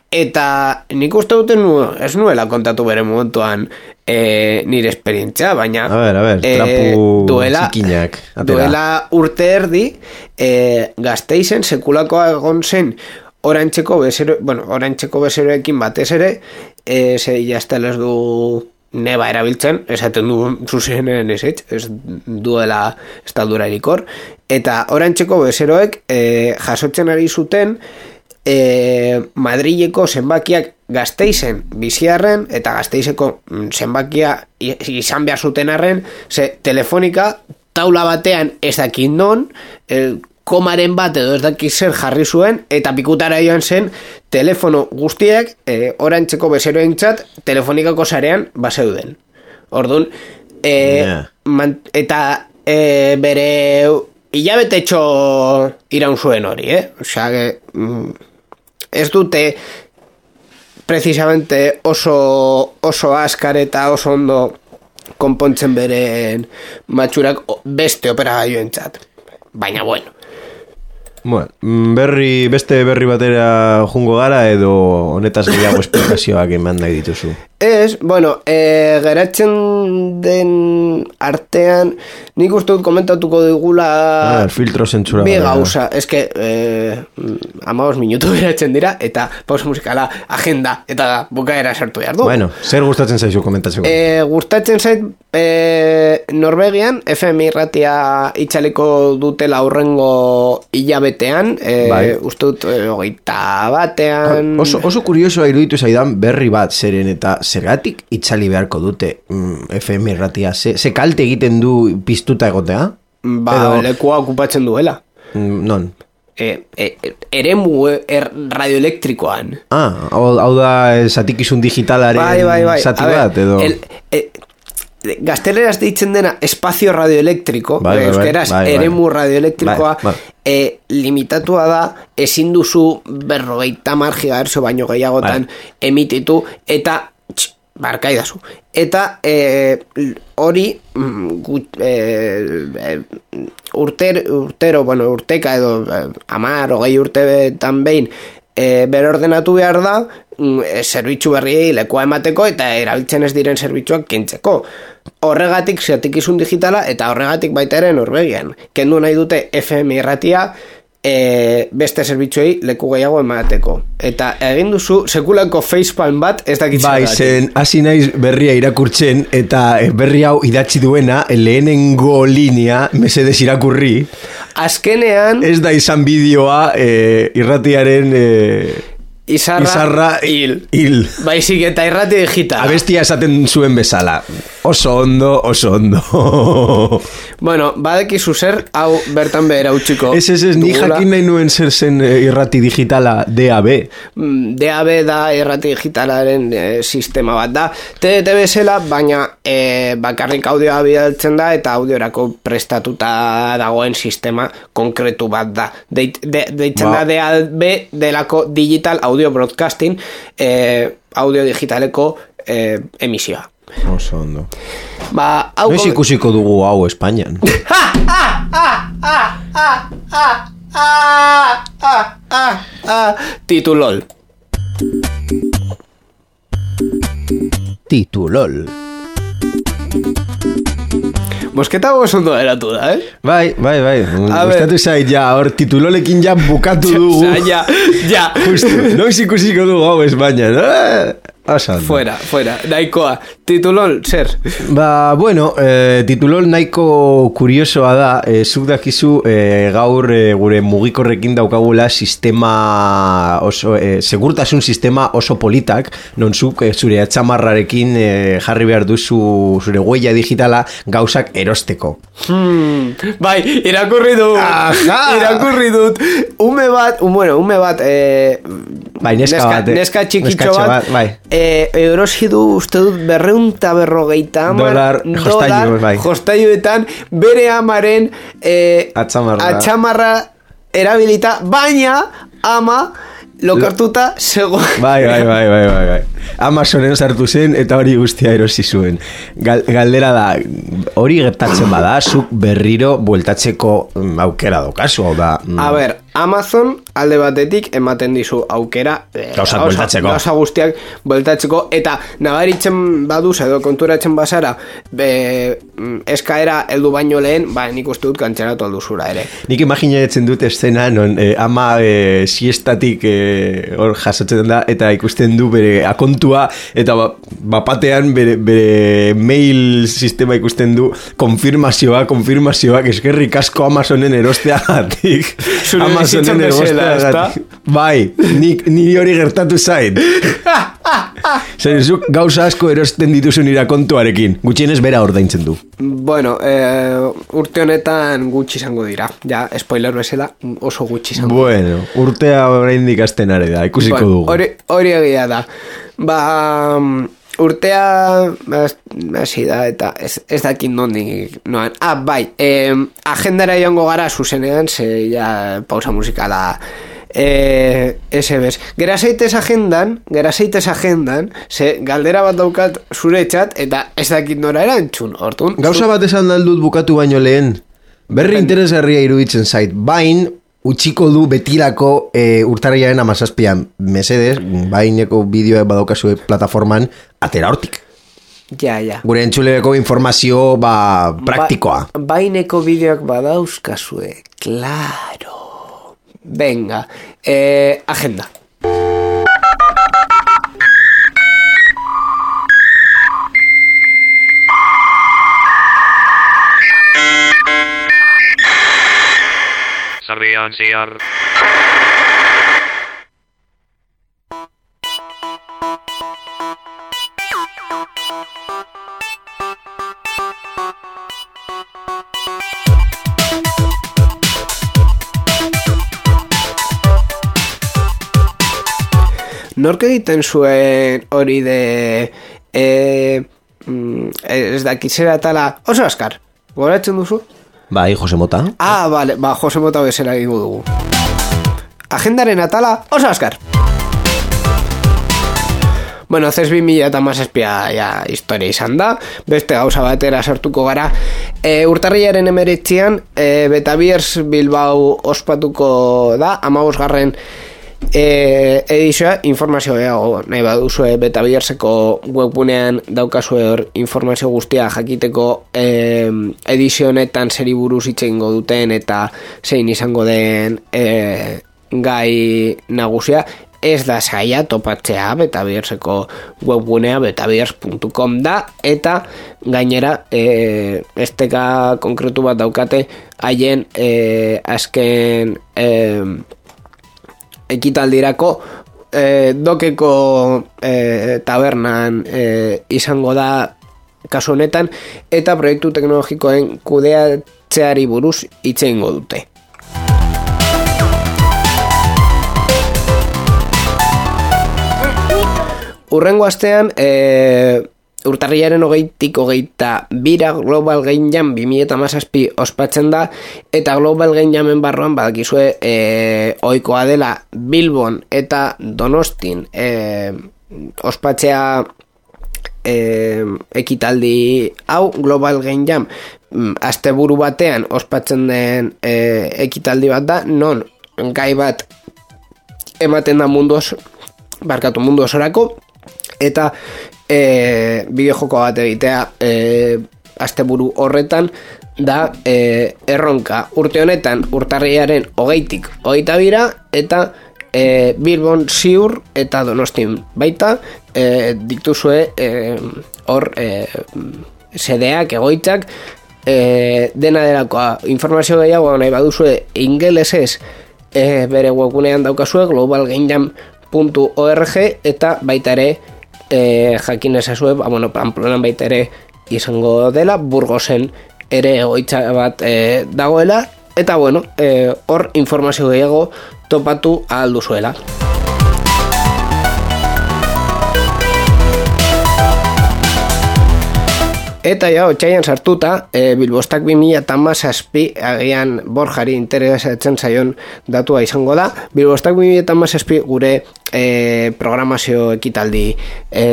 [SPEAKER 1] Eta nik uste duten nu, ez nuela kontatu bere momentuan e, nire esperientzia, baina
[SPEAKER 2] a ver, a ver, trapu
[SPEAKER 1] e, duela,
[SPEAKER 2] zikinak,
[SPEAKER 1] duela urte erdi e, Gasteizen sekulakoa egon zen orantxeko bezero, bueno, orantxeko bezeroekin batez ere, e, ze jaztel ez du neba erabiltzen, esaten du zuzenen ez ez duela estaldura erikor, eta orantxeko bezeroek e, jasotzen ari zuten E, Madrileko zenbakiak Gasteizen biziarren eta Gasteizeko zenbakia izan behar zuten arren, ze telefonika taula batean ez dakit non, e, komaren bat edo ez dakit zer jarri zuen, eta pikutara joan zen telefono guztiak e, orantxeko bezeroentzat telefonikako sarean baseuden. Orduan, e, yeah. man, eta e, bere hilabetetxo iraun zuen hori, eh? Osea, que... Mm, ez dute precisamente oso oso askar eta oso ondo konpontzen beren matxurak beste operagailuentzat. Baina bueno.
[SPEAKER 2] Bueno, berri, beste berri batera jungo gara edo honetaz gehiago esplikazioak eman nahi dituzu?
[SPEAKER 1] Ez, bueno, e, geratzen den artean nik uste dut komentatuko digula
[SPEAKER 2] ah, filtro zentsura
[SPEAKER 1] bi gauza, ez que eh, amabos minutu geratzen dira eta pausa musikala, agenda eta bukaera sartu behar du.
[SPEAKER 2] Bueno, zer gustatzen zaizu komentatzeko?
[SPEAKER 1] E, gustatzen zait e, Norvegian F M irratia itxaliko dutela aurrengo hilabetean, e, bai. Uste dut e, hogeita batean
[SPEAKER 2] oso, oso kuriosoa iruditu zaidan berri bat zeren eta zergatik itzali beharko dute mm, F M irratia, ze, ze kalte egiten du piztuta egotea?
[SPEAKER 1] Ba, edo... lekua okupatzen duela.
[SPEAKER 2] Mm, non?
[SPEAKER 1] E, e, eremu er, radioelektrikoan.
[SPEAKER 2] Ah, hau, hau da zatikizun digitalaren
[SPEAKER 1] bai, bai, bai.
[SPEAKER 2] zati bat, edo... El, e,
[SPEAKER 1] gazteleraz deitzen dena espazio radioelektriko, bai, bai, euskeraz bai, bai, eremu radioelektrikoa, bai, bai. E, limitatua da, ezin duzu berrogeita mar gigahertzo baino gehiagotan bai. Emititu, eta tx, barkaidazu. Eta e, hori gut, e, e, urter, urtero, bueno, urteka edo e, amar, hogei urteetan behin e, berordenatu behar da e, zerbitzu berriei lekua emateko eta erabiltzen ez diren zerbitzuak kentzeko. Horregatik zatikizun digitala eta horregatik baita ere Norvegian. Kendu nahi dute F M irratia e, beste zerbitzuei leku gehiago emateko. Eta egin duzu sekulako facepalm bat ez dakitzen.
[SPEAKER 2] Bai, zen hasi naiz berria irakurtzen eta berri hau idatzi duena lehenengo linea mesedez irakurri.
[SPEAKER 1] Azkenean
[SPEAKER 2] ez da izan bideoa e, irratiaren e,
[SPEAKER 1] Izarra,
[SPEAKER 2] Izarra hil. hil.
[SPEAKER 1] Baizik eta irrati digital.
[SPEAKER 2] Abestia esaten zuen bezala. Oso ondo, oso ondo.
[SPEAKER 1] Bueno, badekizu zer, hau bertan behera utxiko.
[SPEAKER 2] Ez, ez, ez, ni jakin nahi nuen zer zen irrati digitala D A B.
[SPEAKER 1] D A B da irrati digitalaren e, sistema bat da. T D T bezala, baina e, bakarrik audioa bidaltzen da eta audiorako prestatuta dagoen sistema konkretu bat da. Deit, de, deitzen ba. da D A B delako digital audio audio broadcasting, eh, audio digitaleko eh, emisioa.
[SPEAKER 2] Oso ondo.
[SPEAKER 1] Ba, hau...
[SPEAKER 2] Noiz ikusiko dugu hau Espainian.
[SPEAKER 1] Titulol.
[SPEAKER 2] Titulol.
[SPEAKER 1] Mosketa goz ondo eratu da, eh?
[SPEAKER 2] Bai, bai, bai. Gustatu zait, ja, hor titulolekin ja bukatu dugu.
[SPEAKER 1] Osa, ja, ja.
[SPEAKER 2] Justo, noiz ikusiko dugu hau Espainian. Eh?
[SPEAKER 1] Fuera, fuera, nahikoa. Titulol, zer?
[SPEAKER 2] Ba, bueno, eh, titulol nahiko kuriosoa da, eh, zuk dakizu eh, gaur eh, gure mugikorrekin daukagula sistema oso, eh, segurtasun sistema oso politak, non zuk eh, zure atxamarrarekin eh, jarri behar duzu zure huella digitala gauzak erosteko.
[SPEAKER 1] Hmm, bai, irakurri dut, irakurri dut, ume bat, un, bueno, ume bat, eh,
[SPEAKER 2] bai, neska,
[SPEAKER 1] neska,
[SPEAKER 2] bat,
[SPEAKER 1] neska txikitxo bat, bat
[SPEAKER 2] bai.
[SPEAKER 1] Eh, erosi du uste dut berreunta berrogeita amar
[SPEAKER 2] dolar,
[SPEAKER 1] dolar
[SPEAKER 2] bai.
[SPEAKER 1] Jostailuetan bere amaren eh,
[SPEAKER 2] atxamarra,
[SPEAKER 1] atxamarra erabilita, baina ama lokartuta zego.
[SPEAKER 2] Bai, bai, bai, bai, bai, bai. Amazonen sartu zen eta hori guztia erosi zuen. Gal, galdera da, hori gertatzen bada, zuk berriro bueltatzeko aukera dokazu, hau da. Mm.
[SPEAKER 1] A ber, Amazon alde batetik ematen dizu aukera
[SPEAKER 2] Gauza bueltatzeko.
[SPEAKER 1] Gauza guztiak bueltatzeko eta nabaritzen baduz edo konturatzen bazara be, eskaera heldu baino lehen, ba, nik uste dut kantxeratu alduzura ere.
[SPEAKER 2] Nik imaginatzen dut eszena non eh, ama eh, siestatik eh, hor jasotzen da eta ikusten du bere akontua eta ba, bapatean bere, bere mail sistema ikusten du konfirmazioa, konfirmazioak eskerrik asko Amazonen erosteagatik. Amazonen erosteagatik. Bai, nik, ni hori gertatu zain. Zer, zuk gauza asko erosten dituzun irakontuarekin, gutxienez bera ordaintzen du.
[SPEAKER 1] Bueno, eh, urte honetan gutxi izango dira. Ja, spoiler bezala oso gutxi izango.
[SPEAKER 2] Bueno, urtea oraindik hasten ari da, ikusiko
[SPEAKER 1] bueno,
[SPEAKER 2] dugu.
[SPEAKER 1] Hori, hori egia da. Ba, urtea hasi da eta ez, ez dakit nondik noan. Ah, bai, eh, agendara joango gara zuzenean, ze ja pausa musikala eh, ese bez. Gera zaitez agendan, gera zaitez agendan, ze galdera bat daukat zure txat, eta ez dakit nora erantzun, hortun.
[SPEAKER 2] Gauza bat esan daldut bukatu baino lehen, berri interesgarria iruditzen zait, bain, utxiko du betirako e, urtarriaren amazazpian, mesedez, baineko bideoa badaukazue plataforman, atera hortik.
[SPEAKER 1] Ja, ja.
[SPEAKER 2] Gure entzuleko informazio, ba, praktikoa.
[SPEAKER 1] Ba, baineko bideoak badauzkazue, claro. Venga, eh, agenda.
[SPEAKER 3] Sarbian siar.
[SPEAKER 1] Nork egiten zuen hori de eh, mm, ez dakitzera tala oso askar, goratzen duzu?
[SPEAKER 2] Bai, Jose Mota.
[SPEAKER 1] Ah, vale, ba, Jose Mota bezala egingo dugu. Agendaren atala oso askar. Bueno, zez bi mila eta mazazpia ja, historia izan da, beste gauza batera sartuko gara. E, urtarriaren emeretzian, e, Betabiers Bilbao ospatuko da, amabosgarren E, edizioa, informazio gehiago nahi baduzue Betabierseko webgunean daukazue hor informazio guztia jakiteko e, edizio honetan zeri buruz hitz egingo duten eta zein izango den e, gai nagusia. Ez da zaila topatzea Betabierseko webgunea betabiers puntu com da eta gainera e, esteka konkretu bat daukate haien e, azken e, ekitaldirako eh, dokeko eh, tabernan eh, izango da kasu honetan eta proiektu teknologikoen kudeatzeari buruz hitz egingo dute. Urrengo astean eh, urtarriaren hogeitik hogeita bira Global Game Jam bi mila hamazazpi ospatzen da eta Global Game Jamen barruan badakizue e, ohikoa dela Bilbon eta Donostin e, ospatzea e, ekitaldi hau. Global Game Jam asteburu batean ospatzen den e, ekitaldi bat da, non gai bat ematen da mundu oso, barkatu mundu osorako eta E, bideojoko bat egitea e, asteburu horretan da e, erronka. Urte honetan urtarriaren hogeitik hogeita bira eta e, Bilbon ziur eta Donostin baita e, dituzue hor e, e, sedeak, egoitzak e, dena delakoa. Informazio gehiago nahi baduzue ingelesez e, bere webgunean daukazue global game jam puntu org eta baita ere E, jakin ezazue, ba, bueno, Pamplonan baita ere izango dela, Burgosen ere egoitza bat e, dagoela, eta bueno, e, hor informazio gehiago topatu ahal duzuela. Eta ja, otxaian sartuta, e, Bilbostak bi mila hamazazpi, agian Borjari interesatzen zaion datua izango da, Bilbostak bi mila hamazazpi gure e, programazio ekitaldi e,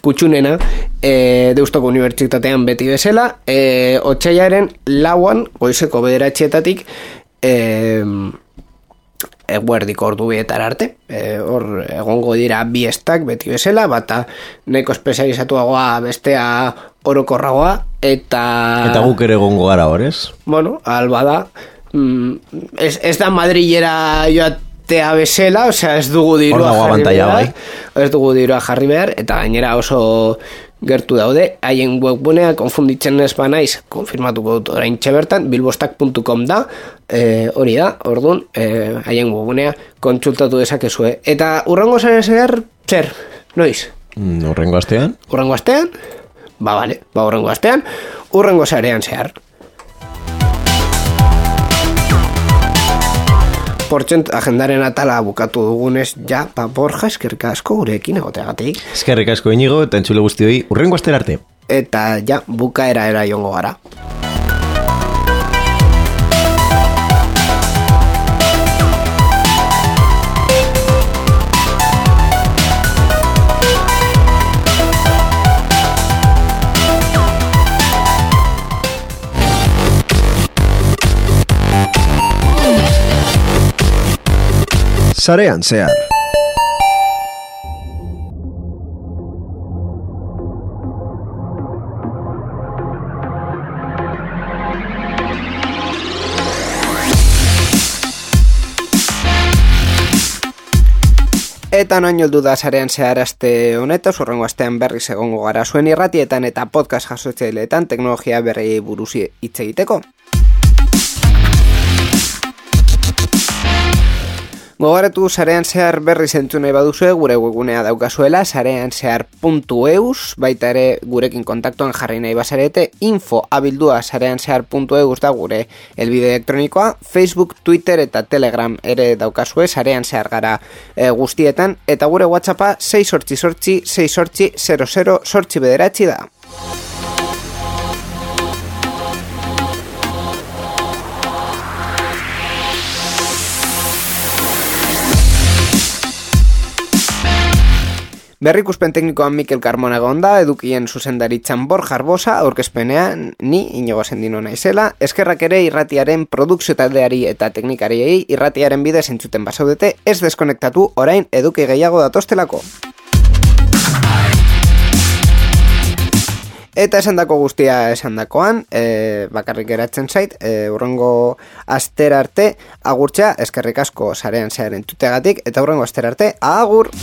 [SPEAKER 1] kutxunena e, Deustoko Unibertsitatean beti bezala, e, otxaiaren lauan, goizeko bederatxietatik, e, eguerdiko ordu bietar arte, e, hor egongo dira bi estak beti bezala, bata neko espezializatuagoa, bestea orokorragoa, eta...
[SPEAKER 2] Eta guk ere egongo gara horrez?
[SPEAKER 1] Bueno, alba da, mm, ez, ez da Madrilera joatea bezala, osea ez dugu dirua jarri behar, bai. ez dugu dirua jarri behar, eta gainera oso gertu daude, haien webgunea konfunditzen ez banaiz, konfirmatuko dut orain txebertan, bilbostak puntu com da, e, hori da, orduan, e, haien webgunea kontsultatu dezakezue. Eta urrengo zare zer, zer, noiz?
[SPEAKER 2] Mm, urrengo astean?
[SPEAKER 1] Urrengo astean? Ba, bale, ba, urrengo astean, urrengo zarean zehar. Portxent, agendaren atala bukatu dugunez, ja, pa, Borja, eskerrik asko gurekin egoteagatik.
[SPEAKER 2] Eskerrik asko Inigo, eta entzule guztioi, urrengo astera arte.
[SPEAKER 1] Eta, ja, bukaera era jongo gara.
[SPEAKER 2] Sarean zehar.
[SPEAKER 1] Eta noin joldu da Sarean zehar aste honetaz, urrengo astean berriz egongo gara zuen irratietan eta podcast jasotzaileetan teknologia berri buruz hitz egiteko. Gogoratu Sarean zehar berriz entzun nahi baduzue, gure webgunea daukazuela, sarean zehar puntu eus, baita ere gurekin kontaktuan jarri nahi bazarete, info abildua sarean zehar puntu eus da gure elbide elektronikoa, Facebook, Twitter eta Telegram ere daukazue, Sarean zehar gara e, guztietan, eta gure WhatsAppa sei sortzi sortzi, sei sortzi, zero zero sortzi bederatzi da. Berrikuspen teknikoan Mikel Carmona gonda, edukien zuzendaritzan Borja Arbosa, aurkezpenean ni Inigo Sendino naizela, eskerrak ere irratiaren produkzio taldeari eta teknikariei irratiaren bidez entzuten basaudete, ez deskonektatu orain eduki gehiago datostelako. Eta esandako guztia esandakoan, e, bakarrik geratzen zait, e, urrengo astera arte agurtzea, eskerrik asko Sarean zehar entzuteagatik, eta urrengo astera arte, agur!